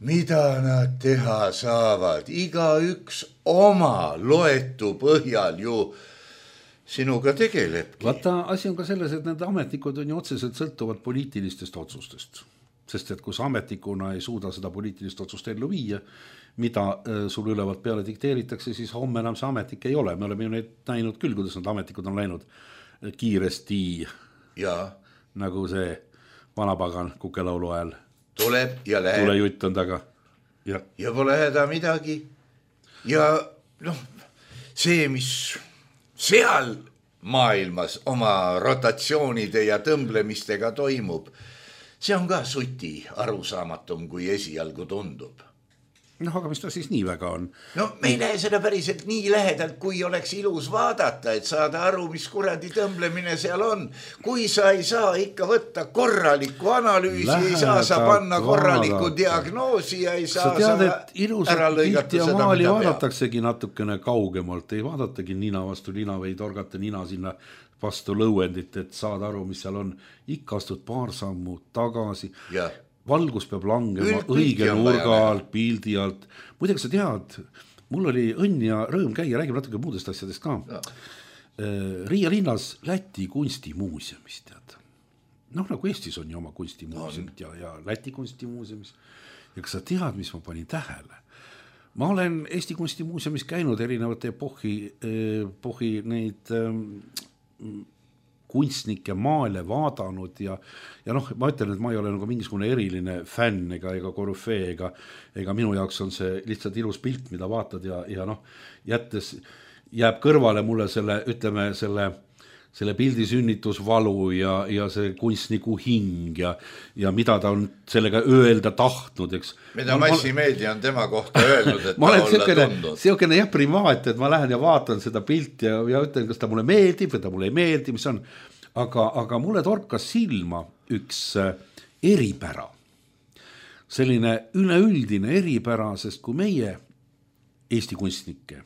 mida nad teha saavad, iga üks oma loetu põhjal ju sinuga tegelebki. Vaata, asi on ka selles, et need ametnikud on ju otseselt sõltuvad poliitilistest otsustest. Sest et kui sa ametnikuna ei suuda seda poliitilist otsust ellu viia, mida sul ülevalt peale dikteeritakse, siis homme enam see ametnik ei ole. Me oleme ju neid näinud küll, kuidas need ametnikud on läinud kiiresti ja. Nagu see vanapagan kukelaulu ajal. Tuleb ja läheb. Tule jutt on taga. Ja, ja pole häda midagi. Ja noh, see, mis seal maailmas oma rotatsioonide ja tõmblemistega toimub, see on ka suti arusaamatum, kui esialgu tundub. Noh, aga mis ta siis nii väga on? No me ei lähe seda päriselt nii lähedalt, kui oleks ilus vaadata, et saada aru, mis kuradi tõmblemine seal on. Kui sa ei saa ikka võtta korralikku analüüsi, Lähedalt ei saa sa panna korralikku vaadata. Diagnoosi ja ei saa sa tead, sa et ilusat pilti ja maali vaadataksegi natukene kaugemalt, ei vaadatagi nina vastu nina või torgata nina sinna vastu lõuendit, et saad aru, mis seal on. Ikka astud paar sammu tagasi. Ja. Valgus peab langema õige nurga alt, pildi alt. Muidega sa tead, mul oli õnn ja rõõm käia, räägime natuke muudest asjadest ka. Ja. Riia linnas Läti kunstimuuseumist, tead. Noh, nagu Eestis on ju oma kunstimuuseumid ja, ja Läti kunstimuuseumis. Ja kas sa tead, mis ma panin tähele? Ma olen Eesti kunstimuuseumis käinud erinevate epohhi, epohhi neid kunstnike maale vaadanud ja, ja noh, ma ütlen, et ma ei ole nagu mingisugune eriline fänn ega, ega korüfee ega, ega minu jaoks on see lihtsalt ilus pilt, mida vaatad ja, ja noh, jättes jääb kõrvale mulle selle, ütleme, selle, selle pildi sünnitusvalu ja, ja see kunstniku hing ja, ja mida ta on sellega öelda tahtnud, eks. Mida massimeedia on tema kohta öelnud, et ma ta olen olla siukene, tundnud. Siukene jah primaat, et ma lähen ja vaatan seda pilti ja, ja ütlen, kas ta mulle meeldib või ta mulle ei meeldi, mis on. Aga, aga mulle torkas silma üks eripära. Selline üleüldine eripära, sest kui meie Eesti kunstnike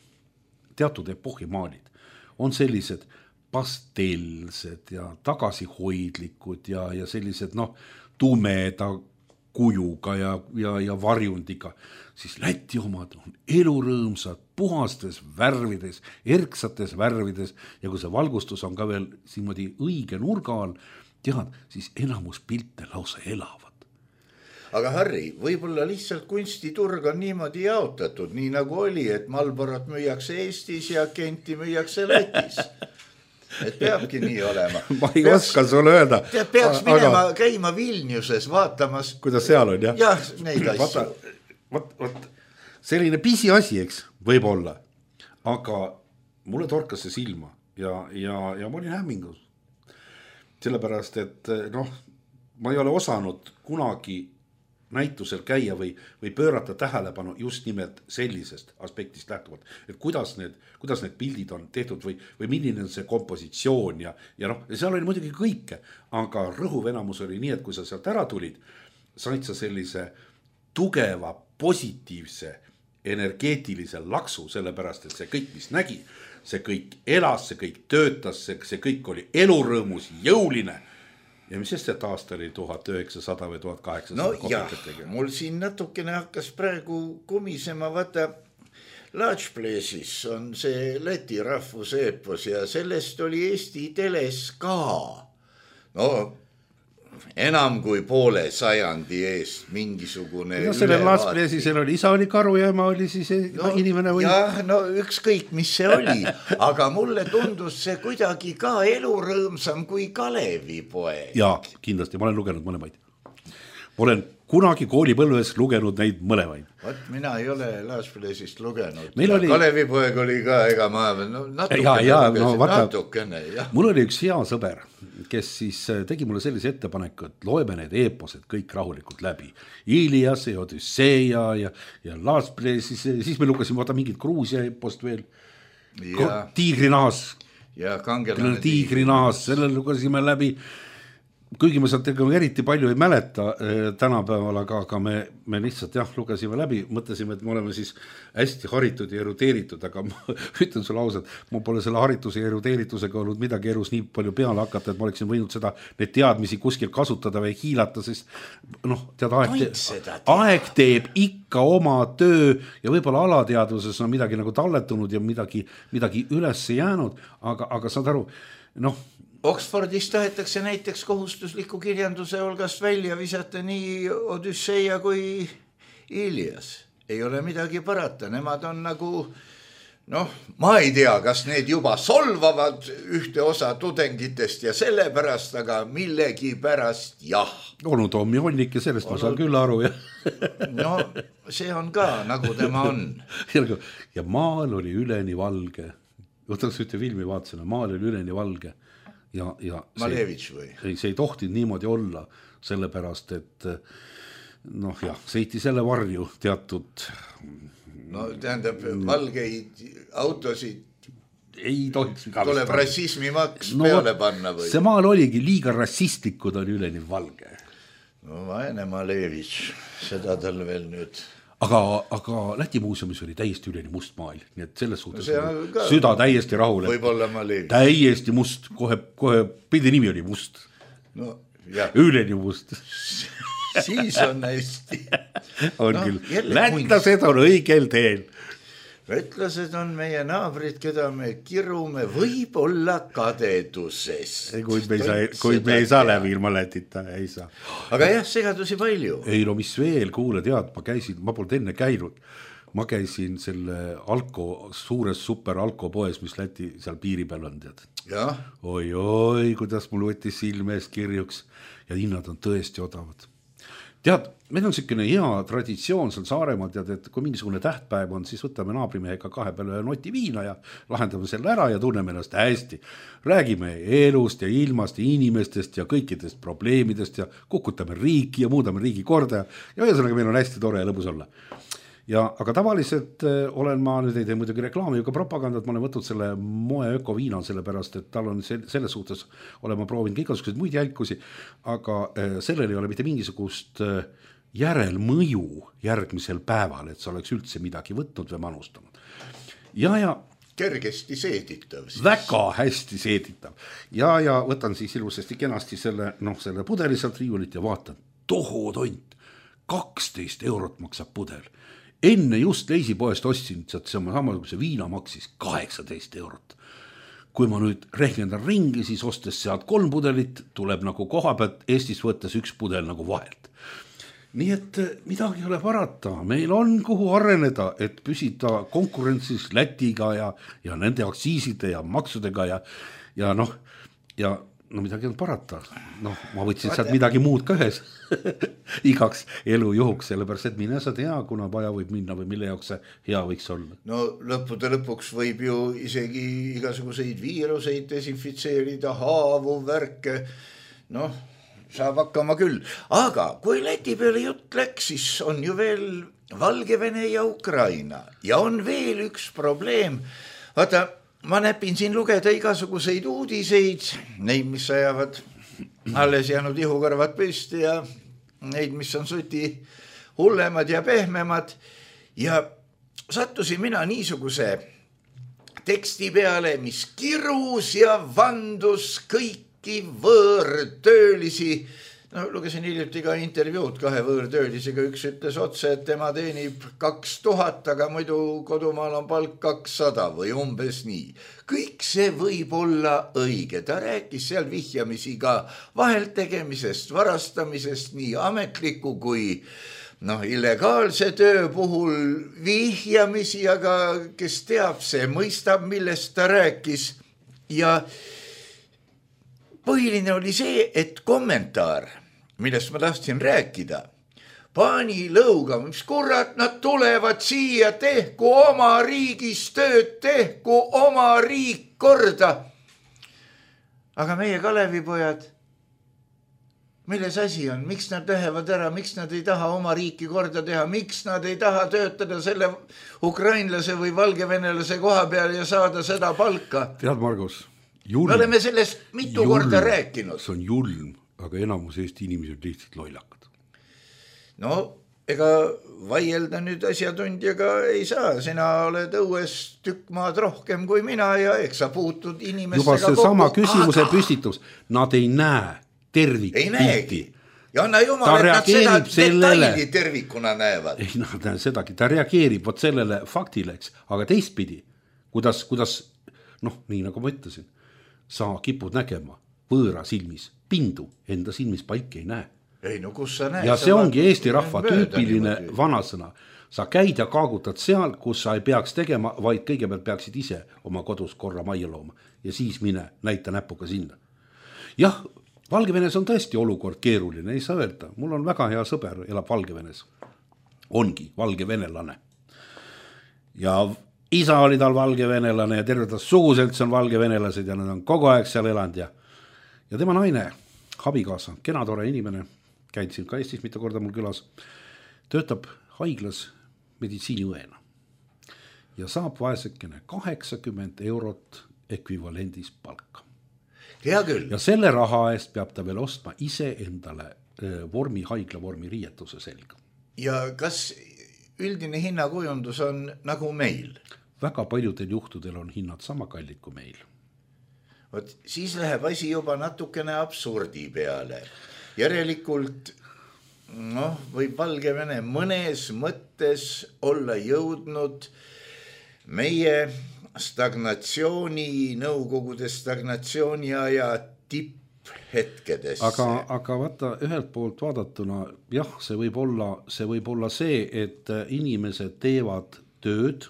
teatud epohhi maalid on sellised pastelsed ja tagasihoidlikud ja, ja sellised noh, tumeda kujuga ja, ja, ja varjundiga, siis Läti omad on elurõõmsad, puhastes värvides, erksates värvides ja kui see valgustus on ka veel siimoodi õige nurga all, tead, siis enamus pilte lausa elavad. Aga Harri, võib-olla lihtsalt kunstiturg on niimoodi jaotatud, nii nagu oli, et Marlborot müüakse Eestis ja Kenti müüakse Lätis. Et peabki nii olema. Ma ei peaks, oska sulle öelda. Peaks minema aga... käima Vilniuses vaatamas. Kuidas seal on, jah? Jah, neid asju. Vaat, vaat, selline pisi asi, eks, võib olla. Aga mulle torkas see silma ja, ja, ja ma olin hämmingus. Sellepärast, et noh, ma ei ole osanud kunagi näitusel käia või, või pöörata tähelepanu just nimelt sellisest aspektist lähtuvalt, et kuidas need, kuidas need pildid on tehtud või, või milline on see kompositsioon ja, ja noh, seal oli muidugi kõike, aga rõhuv enamus oli nii, et kui sa sealt ära tulid, said sa sellise tugeva, positiivse, energeetilise laksu, sellepärast, et see kõik, mis nägi, see kõik elas, see kõik töötas, see, see kõik oli elurõõmus, jõuline. Ja mis sest, et aasta oli tuhat üheksasada või tuhat kaheksasada? No jah, mul siin natukene hakkas praegu kumisema, vaata, Laatšpleesis on see Läti rahvuseepos ja sellest oli Eesti teles ka. No, enam kui poole sajandi eest mingisugune no, selle Laatšpleesis oli, isa oli karu ja ema oli siis no, inimene või? Jah, no ükskõik, mis see oli, aga mulle tundus see kuidagi ka elurõõmsam kui Kalevipoeg. Jaa, kindlasti, ma olen lugenud mõlemaid. Ma olen kunagi koolipõlves lugenud neid mõlemaid. Vat, mina ei ole Laatšpleesist lugenud. Oli... Kalevipoeg oli ka, ega ma no, natukene, ja, ja, no, vaata, natukene jah. Mul oli üks hea sõber, kes siis tegi mulle sellise ettepaneku, et loeme need eeposed kõik rahulikult läbi. Ilias ja Odüsseia ja, ja Laatšpleesis, siis me lukasime vaata mingit Gruusia eepost veel. Ja. Tiigrinahas. Ja kangelane Tiigrinahas, selle lukasime läbi. kuigi me sealt eriti palju ei mäleta tänapäeval, aga, aga me, me lihtsalt jah, lugesime läbi, mõtlesime, et me oleme siis hästi haritud ja eruteeritud, aga ma ütlen sulle ausalt, ma pole selle harituse ja eruteeritusega olnud midagi elus nii palju peale hakata, et ma oleksin võinud seda, need teadmisi kuskil kasutada või hiilata, sest noh, tead, aeg, te, aeg teeb ikka oma töö ja võib-olla alateadvuses on midagi nagu talletunud ja midagi, midagi üles jäänud, aga, aga saad aru, noh, Oxfordis tahetakse näiteks kohustusliku kirjanduse hulgast välja visata nii Odüsseia kui Ilias. Ei ole midagi parata, nemad on nagu, noh, ma ei tea, kas need juba solvavad ühte osa tudengitest ja sellepärast, aga millegi pärast jah. Onu Tommi Honnik ja sellest Onu... ma saan küll aru. Ja. No see on ka, nagu tema on. Ja maal oli üleni valge. Võtaks ühte filmi vaatsena, maal oli üleni valge. Ja, ja Malevitš või? Ei, see ei tohti niimoodi olla, sellepärast, et noh jah, seiti selle varju teatud... No tähendab, valgeid autosid ei tohiks tuleb rassismimaks no, peale panna või? See maal oligi liiga rassistlikud, oli üleni valge. No vaene Malevitš, seda tal veel nüüd... Aga, aga Läti muuseumis oli täiesti üleni must maal, nii et selles suhtes no ka... süda täiesti rahule. Võib-olla ma leevin. Täiesti must, kohe, kohe pildi nimi oli must. No, jah. Üleni must. Siis on hästi. On no, küll. Lätlased on õigel teel. Lätlased on meie naabrid, keda me kirume võib-olla kadeduses. Kuid me ei saa, kuid me ei saa läbi ilma Lätita, ei saa. Aga jah, segadusi palju. Ei no mis veel, kuule tead, ma käisin, ma polnud enne käinud. Ma käisin selle Alko, suures super Alko poes, mis Läti seal piiri peal on, tead. Ja. Oi, oi, kuidas mul võttis silme eest kirjuks ja hinnad on tõesti odavad. Tead, meil on selline hea traditsioon seal Saaremaal, tead, et kui mingisugune tähtpäev on, siis võtame naabrimehega kahe peale noti viina ja lahendame selle ära ja tunneme ennast hästi. Räägime elust ja ilmast ja inimestest ja kõikidest probleemidest ja kukutame riiki ja muudame riigi korda ja ühesõnaga meil on hästi tore ja lõbus olla. Ja, aga tavaliselt äh, olen ma, nüüd ei tee muidugi reklaami, aga propagandat, ma olen võtnud selle moe ökoviina sellepärast, et tal on sel, selles suhtes olema proovinud igasugused muid jälkusi, aga äh, sellel ei ole mitte mingisugust äh, järelmõju järgmisel päeval, et sa oleks üldse midagi võtnud või manustanud. Ja, ja kergesti seeditav. Siis. Väga hästi seeditav. Ja, ja võtan siis ilusasti kenasti selle, noh, selle pudeli sealt riiulit ja vaatan, toho tont, kaksteist eurot maksab pudel. Enne just leisipoest ostsin, et see samasuguse viina maksis kaheksateist eurot. Kui ma nüüd rehkendan ringi, siis ostes sealt kolm pudelit, tuleb nagu koha pealt Eestis võttes üks pudel nagu vahelt. Nii et midagi ei ole parata, meil on kuhu areneda, et püsida konkurentsis Lätiga ja, ja nende aktsiiside ja maksudega ja, ja noh, ja no midagi on parata. Noh, ma võtsin sealt midagi muud ka ühes igaks elu juhuks, sellepärast, et mine sa tea, kuna vaja võib minna või mille jaoks see hea võiks olla. No lõppude lõpuks võib ju isegi igasuguseid viiruseid desinfitseerida, haavu, värke, noh, saab hakkama küll. Aga kui Läti peale jutt läks, siis on ju veel Valgevene ja Ukraina ja on veel üks probleem. Vaata, ma näpin siin lugeda igasuguseid uudiseid, neid, mis ajavad alles jäänud ihukarvad püsti ja neid, mis on suti hullemad ja pehmemad. Ja sattusin mina niisuguse teksti peale, mis kirus ja vandus kõiki võõrtöölisi. No, lugesin hiljuti ka intervjuud kahe võõrtöölisega, üks ütles otse, et tema teenib kaks tuhat, aga muidu kodumaal on palk kakssada või umbes nii. Kõik see võib olla õige, ta rääkis seal vihjamisi ka vahelt tegemisest, varastamisest, nii ametliku kui noh, illegaalse töö puhul vihjamisi, aga kes teab, see mõistab, millest ta rääkis ja põhiline oli see, et kommentaar, millest ma tahtsin rääkida, pani lõuga, mis kurat, nad tulevad siia, tehku oma riigis tööd, tehku oma riik korda. Aga meie Kalevipojad, milles asi on, miks nad lähevad ära, miks nad ei taha oma riiki korda teha, miks nad ei taha töötada selle ukrainlase või valgevenelase koha peal ja saada seda palka? Tead, Margus, julm, me oleme sellest mitu julm, korda rääkinud. See on julm. aga enamus Eesti inimesi on lihtsalt lollakad. No ega vaielda nüüd asjatundjaga ei saa, sina oled õues tükk maad rohkem kui mina ja eks sa puutud inimestega juba see kokku. Sama küsimuse aga... püstitus, nad ei näe tervik ei näegi ja anna jumal, et nad seda sellele... detaili tervikuna näevad. Ei nad näe sedagi, ta reageerib vot sellele faktile, eks, aga teistpidi, kuidas, kuidas noh, nii nagu ma ütlesin, sa kipud nägema võõra silmis, pindu enda silmis paiki ei näe. Ei, no kus sa näed? Ja see ongi Eesti rahva tüüpiline vanasõna. Sa käid ja kaagutad seal, kus sa ei peaks tegema, vaid kõigepealt peaksid ise oma kodus korra majja looma ja siis mine näita näpuga sinna. Jah, Valgevenes on tõesti olukord keeruline, ei saa öelda. Mul on väga hea sõber, elab Valgevenes. Ongi valgevenelane. Ja isa oli tal valgevenelane ja terve ta suguselts on valgevenelased ja nad on kogu aeg seal elanud ja, ja tema naine, abikaasa, kena tore inimene, käid siin ka Eestis mitu korda mul külas, töötab haiglas meditsiiniõena ja saab vaesekene kaheksakümmend eurot ekvivalendis palka. Hea küll. Ja selle raha eest peab ta veel ostma ise endale vormi, haigla vormi riietuse selga. Ja kas üldine hinnakujundus on nagu meil? Väga paljudel juhtudel on hinnad sama kallid kui meil. Võt, siis läheb asi juba natukene absurdi peale. Järelikult noh, võib Valgevene mõnes mõttes olla jõudnud meie stagnatsiooni, nõukogude stagnatsiooni aja tipphetkedesse. Aga, aga vaata, ühelt poolt vaadatuna, jah, see võib olla, see võib olla see, et inimesed teevad tööd,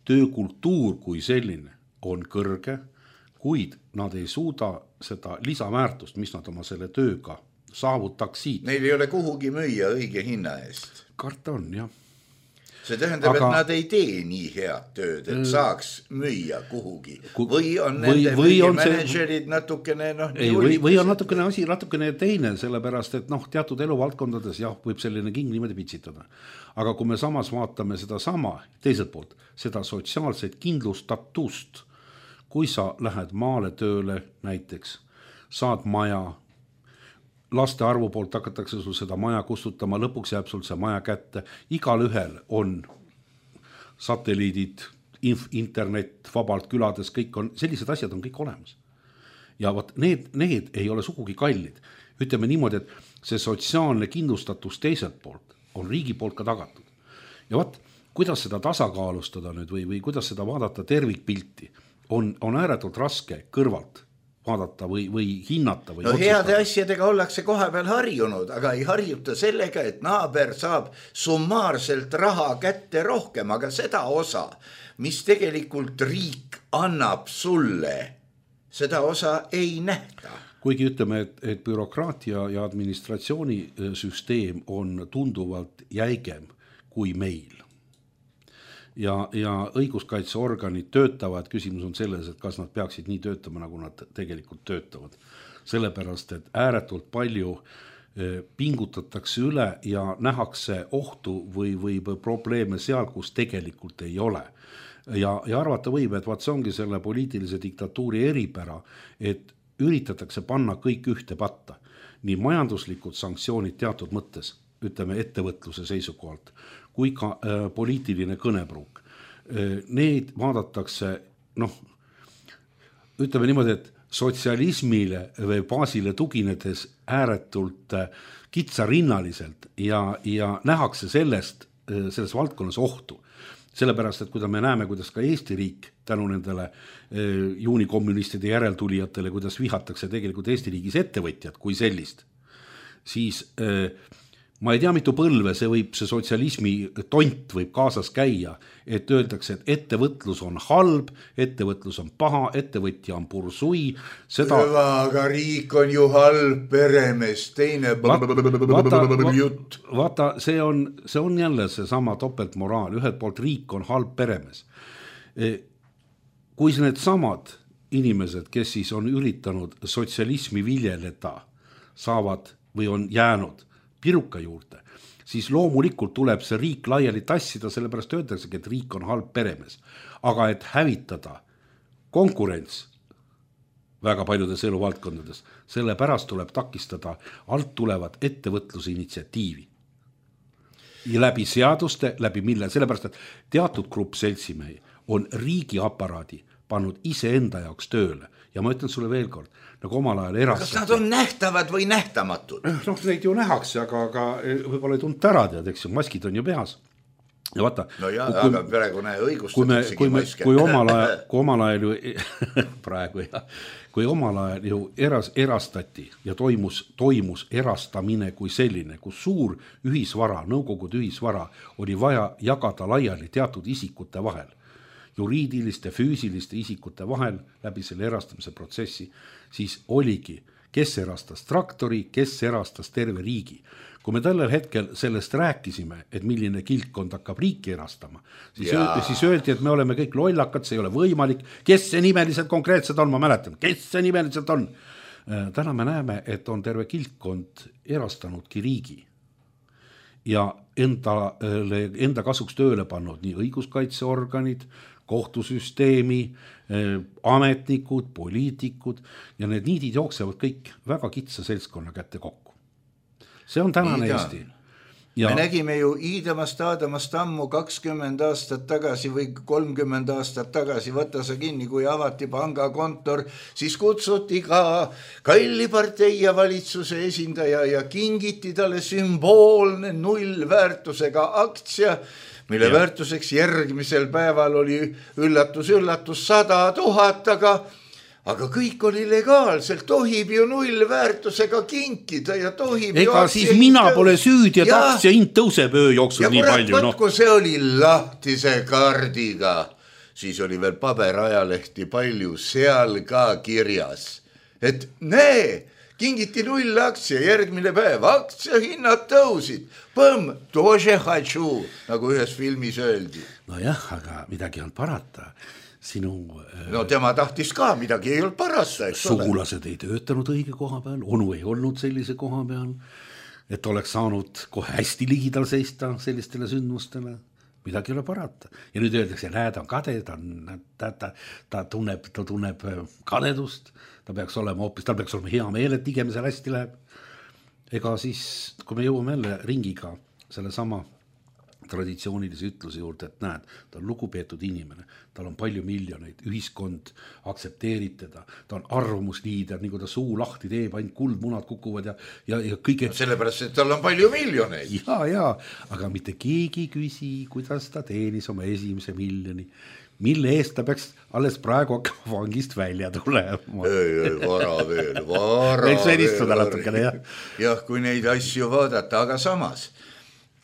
töökultuur kui selline on kõrge, kuid nad ei suuda seda lisaväärtust, mis nad oma selle tööga saavutaksid. Neil ei ole kuhugi müüa õige hinna eest. Karta on, jah. See tähendab, aga, et nad ei tee nii head tööd, et saaks müüa kuhugi. Või on või, nende või on managerid see... natukene noh, ei, või, või on natukene asi natukene teine, sellepärast, et noh, teatud eluvaldkondades jah, võib selline king niimoodi pitsitada. Aga kui me samas vaatame seda sama, teiselt poolt, seda sotsiaalset kindlustatust, kui sa lähed maale tööle näiteks, saad maja, laste arvu poolt hakatakse sul seda maja kustutama, lõpuks jääb sul see maja kätte, igal ühel on satelliidid, inf, internet, vabalt külades, kõik on, sellised asjad on kõik olemas. Ja võt, need, need ei ole sugugi kallid. Ütleme niimoodi, et see sotsiaalne kindlustatus teiselt poolt on riigi poolt ka tagatud. Ja võt, kuidas seda tasakaalustada nüüd või, või kuidas seda vaadata tervikpilti, on, on ääretult raske kõrvalt vaadata või, või hinnata või no otsustada. Heade asjadega ollakse koha peal harjunud, aga ei harjuta sellega, et naaber saab summaarselt raha kätte rohkem, aga seda osa, mis tegelikult riik annab sulle, seda osa ei nähta. Kuigi ütleme, et, et bürokraatia ja administratsiooni süsteem on tunduvalt jäigem kui meil. Ja, ja õiguskaitseorganid töötavad, küsimus on selles, et kas nad peaksid nii töötama, nagu nad tegelikult töötavad. Sellepärast, et ääretult palju pingutatakse üle ja nähakse ohtu või, või probleeme seal, kus tegelikult ei ole. Ja, ja arvata võib, et vaat see ongi selle poliitilise diktatuuri eripära, et üritatakse panna kõik ühte patta. Nii majanduslikud sanktsioonid teatud mõttes, ütleme ettevõtluse seisukohalt, kui ka äh, poliitiline kõnepruuk. Äh, need vaadatakse, noh, ütleme niimoodi, et sotsialismile või baasile tuginedes ääretult äh, kitsarinnaliselt ja, ja nähakse sellest, äh, selles valdkonnas ohtu. Sellepärast, et kui me näeme, kuidas ka Eesti riik tänu nendele äh, juunikommunistide järeltulijatele, kuidas vihatakse tegelikult Eesti riigis ettevõtjad kui sellist, siis äh, ma ei tea, mitu põlve see võib, see sotsialismi tont võib kaasas käia, et öeldakse, et ettevõtlus on halb, ettevõtlus on paha, ettevõtja on bursui. Seda... Hüva, aga riik on ju halb peremees, teine vaata, jutt. Vaata, see on, see on jälle see sama topeltmoraal, ühelt poolt riik on halb peremees. Kui need samad inimesed, kes siis on üritanud sotsialismi viljeleda, saavad või on jäänud piruka juurde, siis loomulikult tuleb see riik laiali tassida, sellepärast öeldaksegi, et riik on halb peremees. Aga et hävitada konkurents väga paljudes eluvaldkondades. Selle pärast tuleb takistada alt tulevat ettevõtluse initsiatiivi. Ja läbi seaduste, läbi mille, sellepärast, et teatud grupp seltsimehi on riigiaparaadi pannud ise enda jaoks tööle. Ja ma ütlen sulle veel kord, nagu omal ajal erastati. Kas nad on nähtavad või nähtamatud? Noh, neid ju nähakse, aga, aga võib-olla ei tunta ära tead, eks ju, maskid on ju peas. Ja vaata, no jah, kui, aga praegu näe kui, õigustatakse kui, maske. Kui omal ajal, kui omal ajal ju, praegu jah, kui omal ajal ju eras, erastati ja toimus, toimus erastamine kui selline, kus suur ühisvara, nõukogude ühisvara oli vaja jagada laiali teatud isikute vahel, juriidiliste, füüsiliste isikute vahel läbi selle erastamise protsessi, siis oligi, kes erastas traktori, kes erastas terve riigi. Kui me tällel hetkel sellest rääkisime, et milline kiltkond hakkab riiki erastama, siis, öö, siis öeldi, et me oleme kõik lollakad, see ei ole võimalik. Kes see nimeliselt konkreetselt on, ma mäletan, kes see nimeliselt on? Täna me näeme, et on terve kiltkond erastanudki riigi ja enda, enda kasuks tööle pannud nii õiguskaitseorganid, kohtusüsteemi, ametnikud, poliitikud ja need niidid jooksevad kõik väga kitsa seltskonna kätte kokku. See on tänane Eesti. Ja me nägime ju Iidamast Aadamast ammu kakskümmend aastat tagasi või kolmkümmend aastat tagasi, võtta sa kinni, kui avati pangakontor, siis kutsuti ka Kalli partei ja valitsuse esindaja ja kingiti talle sümboolne nullväärtusega aktsia, mille ja. väärtuseks järgmisel päeval oli üllatus, üllatus sada tuhat, aga Aga kõik oli legaalselt, tohib ju nullväärtusega kinkida ja tohib Ega ju... Ega siis mina tõus... pole süüdi, et ja... aktsia hind tõuseb öö jooksul nii palju. Ja kurat, kui see oli lahtise kaardiga, siis oli veel paberajalehti palju seal ka kirjas. Et nee, kingiti null aktsia järgmine päev, aktsia hinnad tõusid. Põmm, тоже хочу, nagu ühes filmis öeldi. No jah, aga midagi on parata. Sinu, no tema tahtis ka, midagi ei olnud parasta. Sugulased ei töötanud õige koha peal, onu ei olnud sellise koha peal, et oleks saanud kohe hästi ligidal seista sellistele sündmustele. Midagi ei ole parata. Ja nüüd öeldakse, näed, on kade, ta, ta, ta, ta, tunneb, ta tunneb kadedust, ta peaks olema hoopis, tal peaks olema hea meel, et tigemisel hästi läheb. Ega siis, kui me jõuame jälle ringiga selle sama traditsioonilise ütluse juurde, et näed, ta on lugupeetud inimene, tal on palju miljoneid, ühiskond aktsepteerib teda, ta on arvamusliider, nii kui ta suu lahti teeb, ainult kuldmunad kukuvad ja, ja, ja kõige... No sellepärast, et tal on palju miljoneid. Ja, ja, aga mitte keegi küsi, kuidas ta teenis oma esimese miljoni, mille eest ta peaks alles praegu hakkama vangist välja tulema. Ei, ei, vara veel, vara veel. veel istuda natukene, jah. Jah, kui neid asju vaadata, aga samas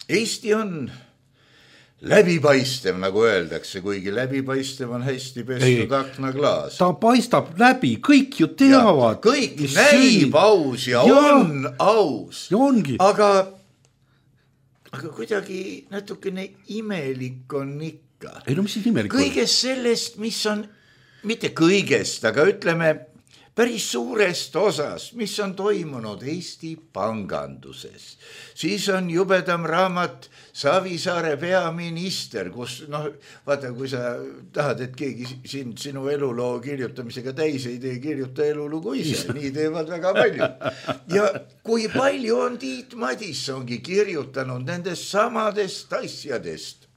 Eesti on läbipaistev, nagu öeldakse, kuigi läbipaistev on hästi pestud aknaklaas. Ta paistab läbi, kõik ju teavad. Ja, kõik näib aus ja, ja on aus. Ja ongi. Aga, aga kuidagi natukene imelik on ikka. Ei no mis siis imelik on? Kõigest sellest, mis on, mitte kõigest, aga ütleme päris suurest osas, mis on toimunud Eesti panganduses. Siis on jubedam raamat Savisaare peaminister, kus, noh, vaata, kui sa tahad, et keegi siin sinu eluloo kirjutamisega täis ei tee, kirjuta elulugu ise, nii teevad väga palju. Ja kui palju on Tiit Madissongi kirjutanud nendest samadest asjadest,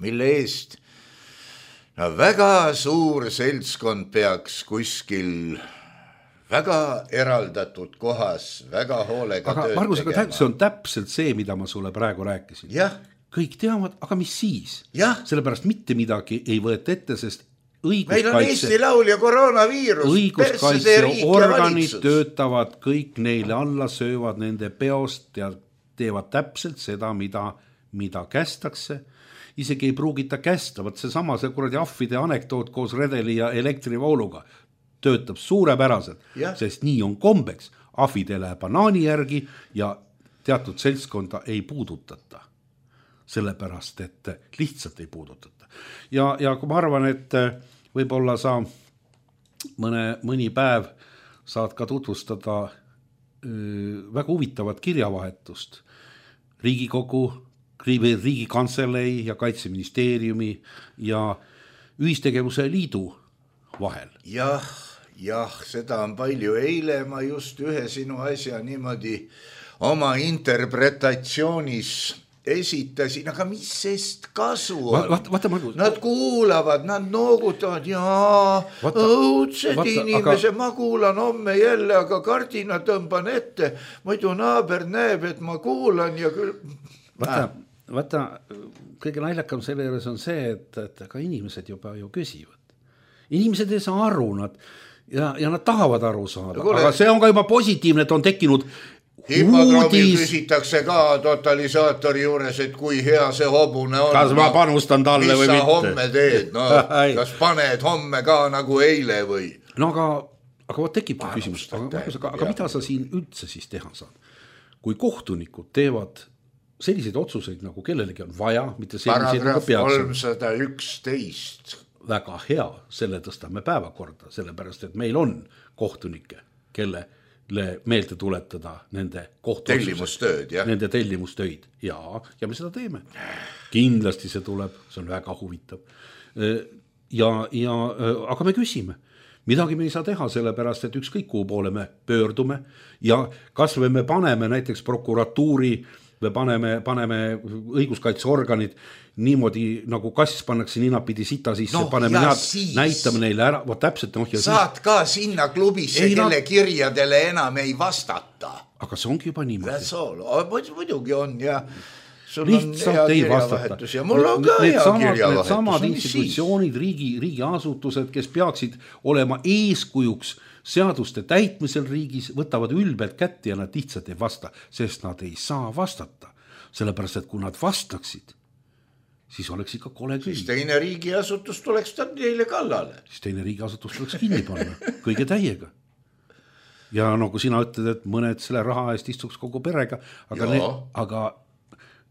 mille eest no väga suur seltskond peaks kuskil väga eraldatud kohas, väga hoolega aga, tööd Margus, tegema. See on täpselt see, mida ma sulle praegu rääkisin. Jah. Kõik teavad, aga mis siis? Jah. Sellepärast mitte midagi ei võeta ette, sest õiguskaitse... Meil on Eesti laul ja koroonaviirus. Õiguskaitseorganid töötavad kõik neile alla, söövad nende peost ja teevad täpselt seda, mida, mida kästakse. Isegi ei pruugita kästa, võt see sama see kuradi ahvide anekdoot koos redeli ja elektrivooluga töötab suurepäraselt, ja. Sest nii on kombeks. Ahvidele banaani järgi ja teatud seltskonda ei puudutata. Sellepärast, et lihtsalt ei puudutata. Ja, ja kui ma arvan, et võib-olla sa mõne, mõni päev saad ka tutvustada öö, väga huvitavat kirjavahetust Riigikogu, Riigikantselei ja Kaitseministeeriumi ja Ühistegevuse liidu vahel. Jah, jah, seda on palju. Eile ma just ühe sinu asja niimoodi oma interpretatsioonis esitasin, aga mis sest kasu on? Vaata, vaata, Margus. Nad kuulavad, nad noogutavad, jaa, õudsed inimese, aga... ma kuulan homme jälle, aga kardina tõmban ette, muidu naaber näeb, et ma kuulan ja küll... Vaata, ah. vaata, kõige naljakam selle juures on see, et, et ka inimesed juba ju küsivad. Inimesed ei saa aru, nad, ja, ja nad tahavad aru saada, Kule... aga see on ka juba positiivne, et on tekkinud Hipodroomil küsitakse ka totalisaatori juures, et kui hea see hobune on. Kas ma panustan talle või mitte? Mis sa homme teed? No, kas paned homme ka nagu eile või? No aga, aga võt tekib küsimus, aga, aga, aga mida sa siin üldse siis teha saad? Kui kohtunikud teevad selliseid otsuseid, nagu kellelegi on vaja, mitte selliseid nagu peaks. Paragrahv kolmsada üksteist. Väga hea, selle tõstame päevakorda, sellepärast, et meil on kohtunikke, kelle meelde tuletada nende tellimustööd, jah. Nende tellimustöid ja, ja me seda teeme. Kindlasti see tuleb, see on väga huvitav. Ja, ja, aga me küsime, midagi me ei saa teha, sellepärast, et ükskõik kuhu poole me pöördume ja kas või me paneme näiteks prokuratuuri, me paneme, paneme õiguskaitseorganid niimoodi nagu kass pannakse ninapidi sita sisse, no, paneme näad, näitame neile ära, võt täpselt. No, saad siis... ka sinna klubisse, ei, kelle no... kirjadele enam ei vastata. Aga see ongi juba niimoodi. Muidugi on ja sul lihtsalt on ei hea vastata. Ja mul on ka hea kirjavahetus. Need samad institutsioonid, riigi, riigi asutused, kes peaksid olema eeskujuks seaduste täitmisel riigis, võtavad ülbelt kätte ja nad lihtsalt ei vasta, sest nad ei saa vastata. Sellepärast, et kui nad vastaksid, siis oleks ikka kole küll. Siis teine riigiasutus tuleks neile kallale. Siis teine riigiasutus tuleks kinni panna, kõige täiega. Ja no kui sina ütled, et mõned selle raha eest istuks kogu perega, aga, ne, aga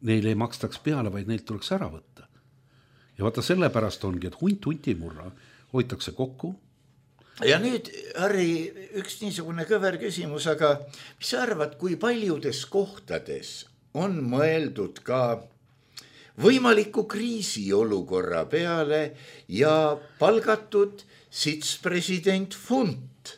neile ei makstaks peale, vaid neilt tuleks ära võtta. Ja vaata sellepärast ongi, et hunt hunti murra, hoitakse kokku. Ja nüüd, Harri, üks niisugune kõver küsimus, aga mis sa arvad, kui paljudes kohtades on mõeldud ka võimaliku kriisiolukorra peale ja palgatud sitspresident Funt?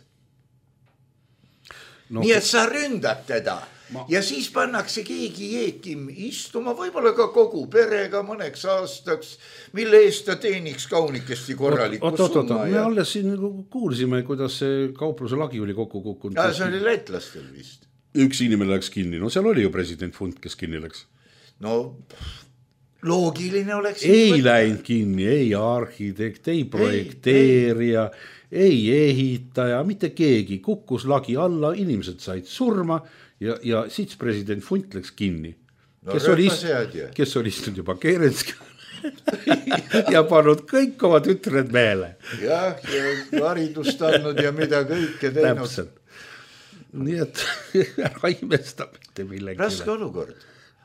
No, nii et sa ründad teda ma... ja siis pannakse keegi jeekim istuma, võib-olla ka kogu perega mõneks aastaks, mille eest ta teeniks kaunikesti korralikku oot, oot, oot, summa. Me ja... alles siin kuulsime, kuidas see kaupluse lagi oli kokku kukkunud. Ja, see oli lätlastel vist. Üks inimene läks kinni, no seal oli ju president Funt, kes kinni läks. No loogiline oleks... Ei läinud kinni, ei arhitekt, ei projekteerija, ei, ei ehitaja, mitte keegi. Kukkus lagi alla, inimesed said surma ja, ja sits president Funt läks kinni. No, kes, oli, kes oli istunud juba Kerenski ja pannud kõik oma tütred meele. Jah, ja haridust andnud ja mida kõike teinud. Täpselt. Nii et ära imesta mitte millegi. Raske olukord.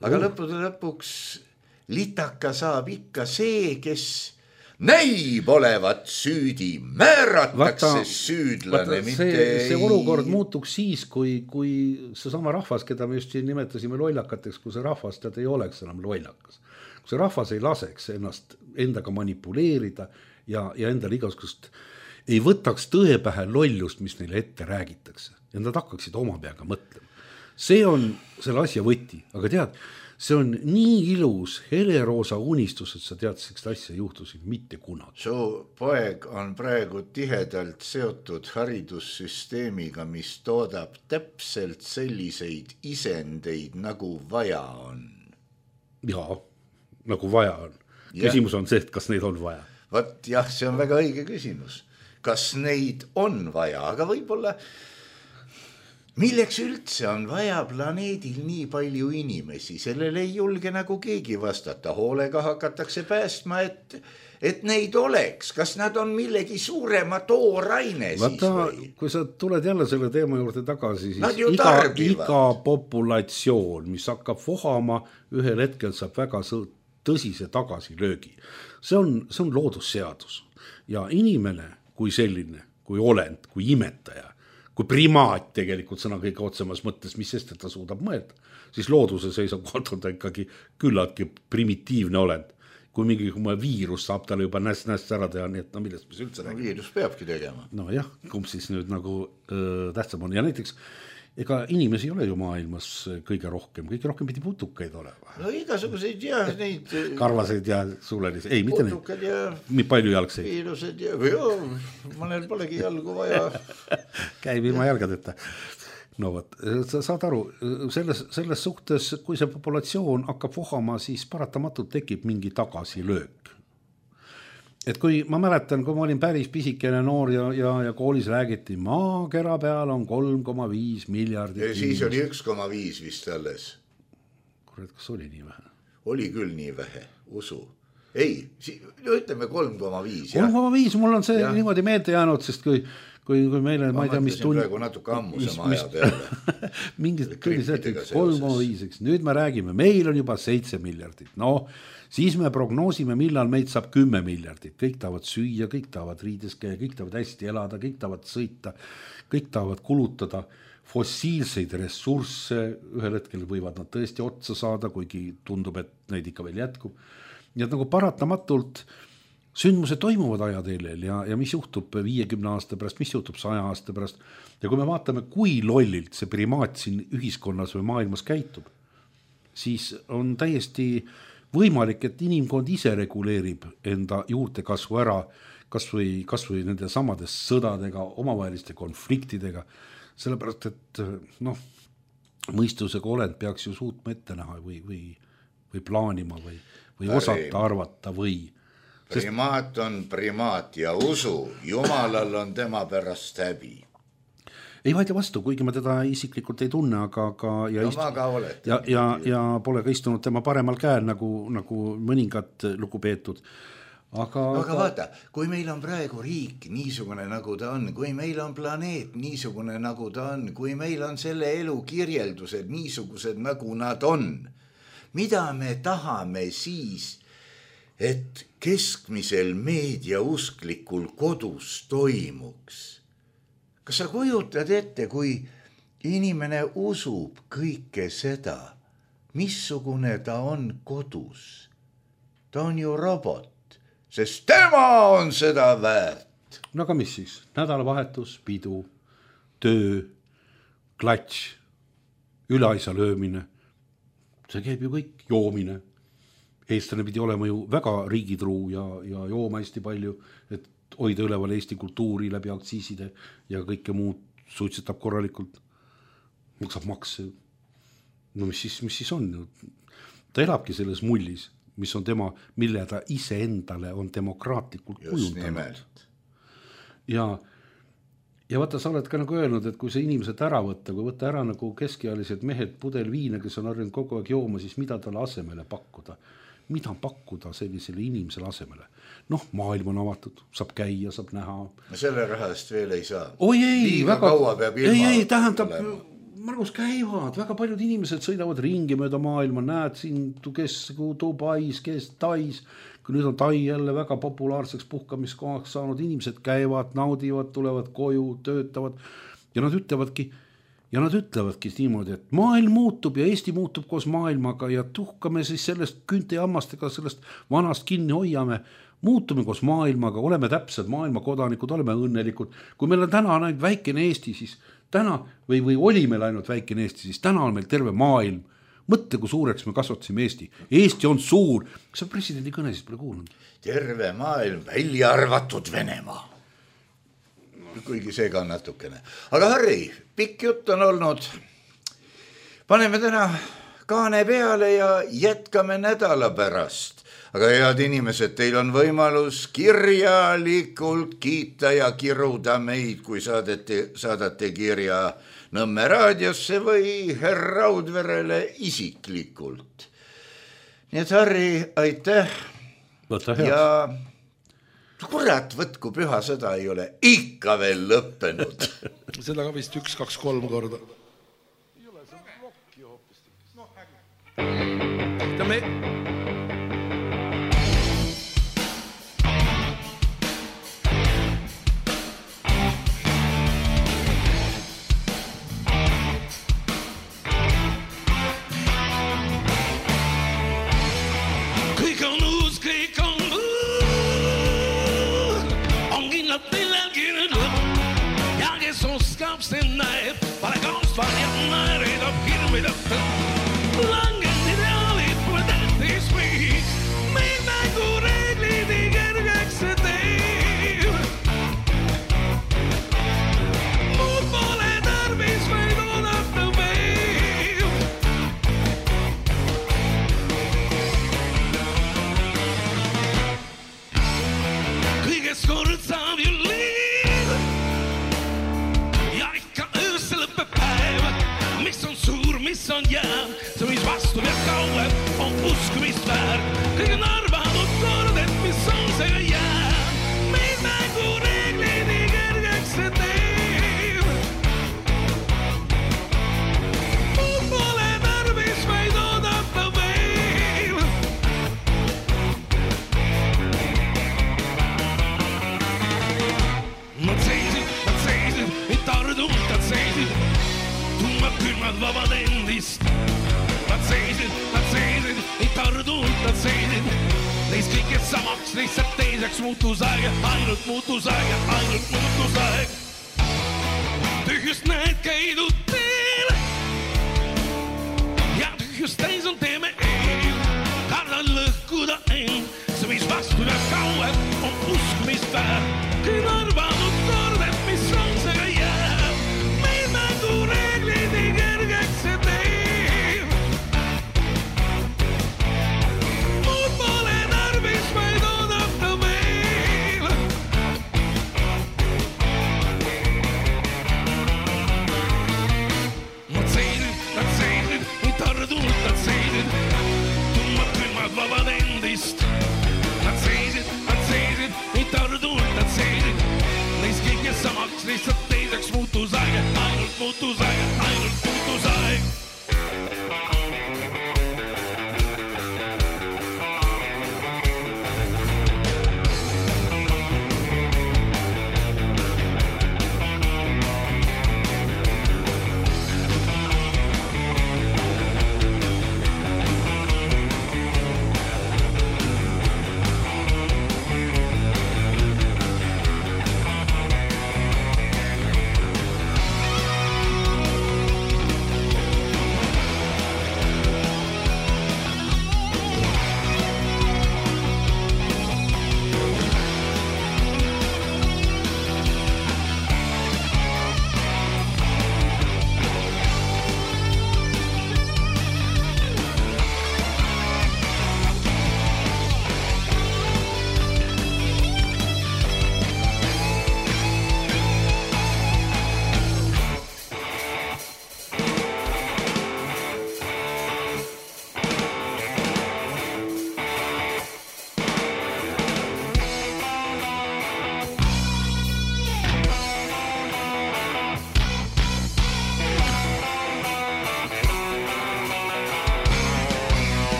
Aga uh. lõppude lõpuks litaka saab ikka see, kes näib olevat süüdi, määratakse vaata, süüdlane. Vaata, see, mitte see olukord muutuks siis, kui, kui see sama rahvas, keda me just siin nimetasime lollakateks, kui see rahvas tead ei oleks enam lollakas. Kui see rahvas ei laseks ennast endaga manipuleerida ja, ja endal igasugust ei võtaks tõe pähe lollust, mis neile ette räägitakse. Ja nad hakkaksid oma peaga mõtlema. See on selle asja võti, aga tead, see on nii ilus heleroosa unistus, et sa tead, sellist asja juhtusid mitte kunagi. Su poeg on praegu tihedalt seotud haridussüsteemiga, mis toodab täpselt selliseid isendeid, nagu vaja on. Jaa, nagu vaja on. Küsimus on see, et kas neid on vaja. Vat jah, see on väga õige küsimus. Kas neid on vaja, aga võib-olla milleks üldse on vaja planeedil nii palju inimesi, sellele ei julge nagu keegi vastata, hoolega hakatakse päästma, et, et neid oleks, kas nad on millegi suurema tooraine siis Vaata, või? Kui sa tuled jälle selle teema juurde tagasi, siis iga, iga populatsioon, mis hakkab vohama, ühel hetkel saab väga tõsise tagasilöögi. See on, see on loodusseadus ja inimene kui selline, kui olend, kui imetaja, kui primaat tegelikult sõna kõige otsemas mõttes, mis sest, et ta suudab mõelda, siis looduse seisukohalt on ta ikkagi küllaltki primitiivne olend. kui mingi kui viirus saab talle juba näst-näst ära teha, nii et no millest mis üldse no, räägime. Viirus peabki tegema. No jah, kumb siis nüüd nagu öö, tähtsam on ja näiteks ega inimesi ei ole ju maailmas kõige rohkem, kõige rohkem pidi putukaid olema. No igasuguseid ja neid karvaseid ja suulelisi, ei mitte putukad ja palju jalgseid. Viirused ja või joo, mõnel polegi jalgu vaja. Käib ilma jalgadeta. No võt, sa saad aru, selles, selles suhtes, kui see populatsioon hakkab vohama, siis paratamatult tekib mingi tagasilöök. Et kui ma mäletan, kui ma olin päris pisikene noor ja, ja, ja koolis räägiti, maakera peal on kolm koma viis miljardit. Ja siis oli üks koma viis vist alles. Kurat, kas oli nii vähe? Oli küll nii vähe, usu. Ei, ütleme kolm koma viis. kolm koma viis, mul on see ja. Niimoodi meelde jäänud, sest kui kui, kui meile, ma, ma ei tea, mis tund... praegu natuke ammuse maja peale. Mingid tuli see, kolm koma viis, nüüd me räägime, meil on juba seitse miljardit. No, siis me prognoosime, millal meid saab kümme miljardit. Kõik tahavad süüa, kõik tahavad riides käia, kõik tahavad hästi elada, kõik tahavad sõita, kõik tahavad kulutada fossiilseid ressursse. Ühel hetkel võivad nad tõesti otsa saada, kuigi tundub, et neid ikka veel jätkub. Ja nagu paratamatult sündmused toimuvad ajateelel ja, ja mis juhtub viiekümne aasta pärast, mis juhtub saja aasta pärast. Ja kui me vaatame, kui lollilt see primaat siin ühiskonnas või maailmas käitub, siis on täiesti võimalik, et inimkond ise reguleerib enda juurtekasvu ära, kas või, kas või nende samades sõdadega, omavaheliste konfliktidega, sellepärast, et noh, mõistusega olend peaks ju suutma ette näha või, või, või plaanima või, või osata arvata või primaat on primaat ja usu, Jumalal on tema pärast häbi. Ei vaidle vastu, kuigi ma teda isiklikult ei tunne, aga, aga ja, no, istu... ja, ja, ja pole ka istunud tema paremal käel nagu, nagu mõningad lugupeetud. Aga, aga vaata, kui meil on praegu riik niisugune nagu ta on, kui meil on planeet niisugune nagu ta on, kui meil on selle elu kirjeldused niisugused nagu nad on, mida me tahame siis, et keskmisel meediausklikul kodus toimuks. Kas sa kujutad ette, kui inimene usub kõike seda, missugune ta on kodus? Ta on ju robot, sest tema on seda väärt. No aga mis siis? Nädalavahetus, pidu, töö, klatš, üleaisa löömine. See käib ju kõik, joomine. Eestlane pidi olema ju väga riigitruu ja, ja jooma hästi palju, et hoida üleval Eesti kultuuri läbi aktsiiside ja kõike muud suitsetab korralikult. Maksab makse. No mis siis, mis siis on? Ta elabki selles mullis, mis on tema, mille ta ise endale on demokraatlikult kujundanud. Ja, ja vaata, sa oled ka nagu öelnud, et kui see inimesed ära võtta, kui võtta ära nagu keskealised mehed pudel viina, kes on harjunud kogu aeg jooma, siis mida talle asemele pakkuda? Mida pakkuda sellisele inimesele asemele? Noh, maailm on avatud, saab käia, saab näha. Selle rahast veel ei saa. Oi ei, liiga väga, kaua peab ilma ei, ei, tähendab, Margus käivad, väga paljud inimesed sõidavad ringi mööda maailma, näed siin, kes Dubais, kes Tais, kui nüüd on Tai jälle väga populaarseks puhkamiskohaks saanud, inimesed käivad, naudivad, tulevad koju, töötavad ja nad ütlevadki, Ja nad ütlevadki niimoodi, et maailm muutub ja Eesti muutub koos maailmaga ja tuhkame siis sellest künte ja hammastega sellest vanast kinni hoiame, muutume koos maailmaga, oleme täpsed maailma kodanikud, oleme õnnelikud. Kui meil on täna ainult väikene Eesti, siis täna, või, või oli meil ainult väikene Eesti, siis täna on meil terve maailm. Mõtle, kui suureks me kasvatasime Eesti. Eesti on suur. Kas sa presidendi kõne siis pole kuulnud? Terve maailm, välja arvatud Venemaa. Kuigi see ka on natukene. Aga Harri, pikk jutt on olnud. Paneme täna kaane peale ja jätkame nädala pärast. Aga head inimesed, teil on võimalus kirjalikult kiita ja kiruda meid, kui saadete, saadate kirja Nõmme raadiosse või Herra Raudverele isiklikult. Nii et Harri, aitäh. Võta heaks. Ja kurat, võtku püha sõda ei ole ikka veel lõppenud. Seda ka vist üks, kaks, kolm korda. Ei ole, see on rokki hoopis. No, äge. Ta me... Kõik on uus, kõik vabad endist. Nad seisid, nad seisid, ei tardult nad seisid. Neist kõigest samaks, lihtsalt teiseks muutus aeg, ainult muutus aeg, ainult muutus aeg. Tühjust näed käidud teel ja tühjust täis on teeme eel. Kardan lõhkuda end, see mis vastu ja kauem on usk, mis väär. Kõik arvanud kord, et mis on see jääb. Meil mängu reeglid nii kergeks see teeb. Muud pole tarvis, vaid oodata veel. Nad seisid, nad seisid, nii tardult nad seisid. Tummad külmad vabad endist. Nad seisid, nad seisid, nii tardult nad seisid. Neist kõigest samaks, lihtsalt teiseks muutus aeg, ainult muutus aeg, ainult muutus aeg.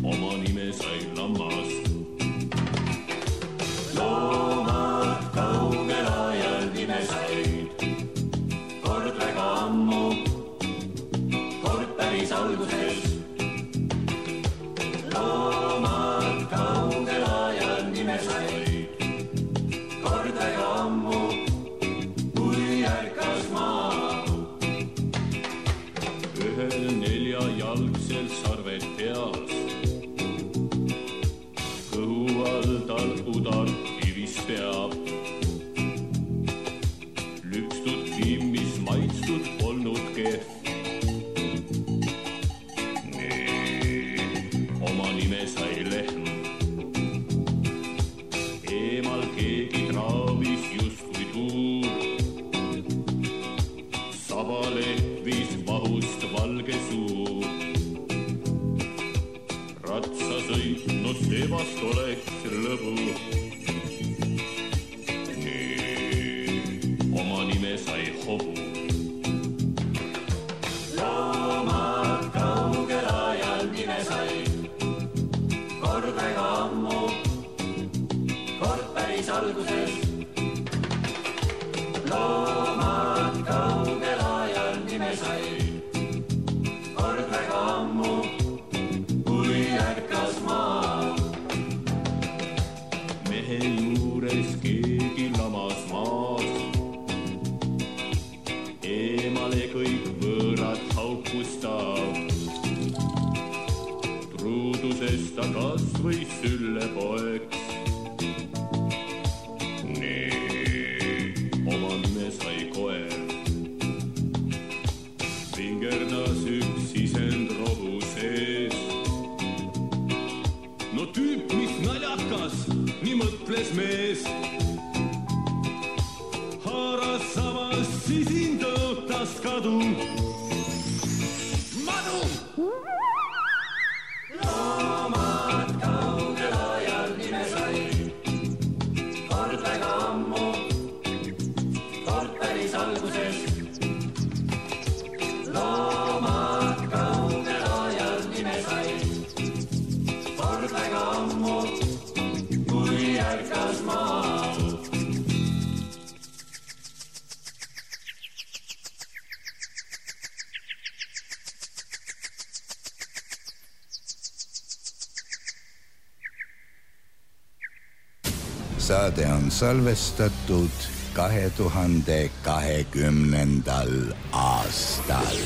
Oma nime sai makstud polnudki. Nii, oma nime sai lehm. Eemal keegi traavis justkui tuur. Sabale viis vahust valge suu. Ratsasõit, no sebast oleks lõbu. Oma nime sai hobu. Loomad kaugel ajal nime sai. Kord väga ammu, kord päris alguses. Loomad kaugel ajal nime sai. Kord väga ammu, kui ärkas maa. Mehe juures keegi lamas maas. Eemale kõik võõrad haukustab. Truudusest ta kas või sülle poeks. Nii, oma nime sai koer. Vingerdas üks sisend rohu sees. No tüüp, mis naljakas, nii mõtles mees. Haaras samas sisin tõotas kadu. Madu! Loomad kaugel ajal nime sai. Kord väga ammu, kord päris alguses. Loomad kaugel ajal nime sai. Kord väga ammu, kui ärkas maa. Saade on salvestatud kahe tuhande kahekümnendal aastal.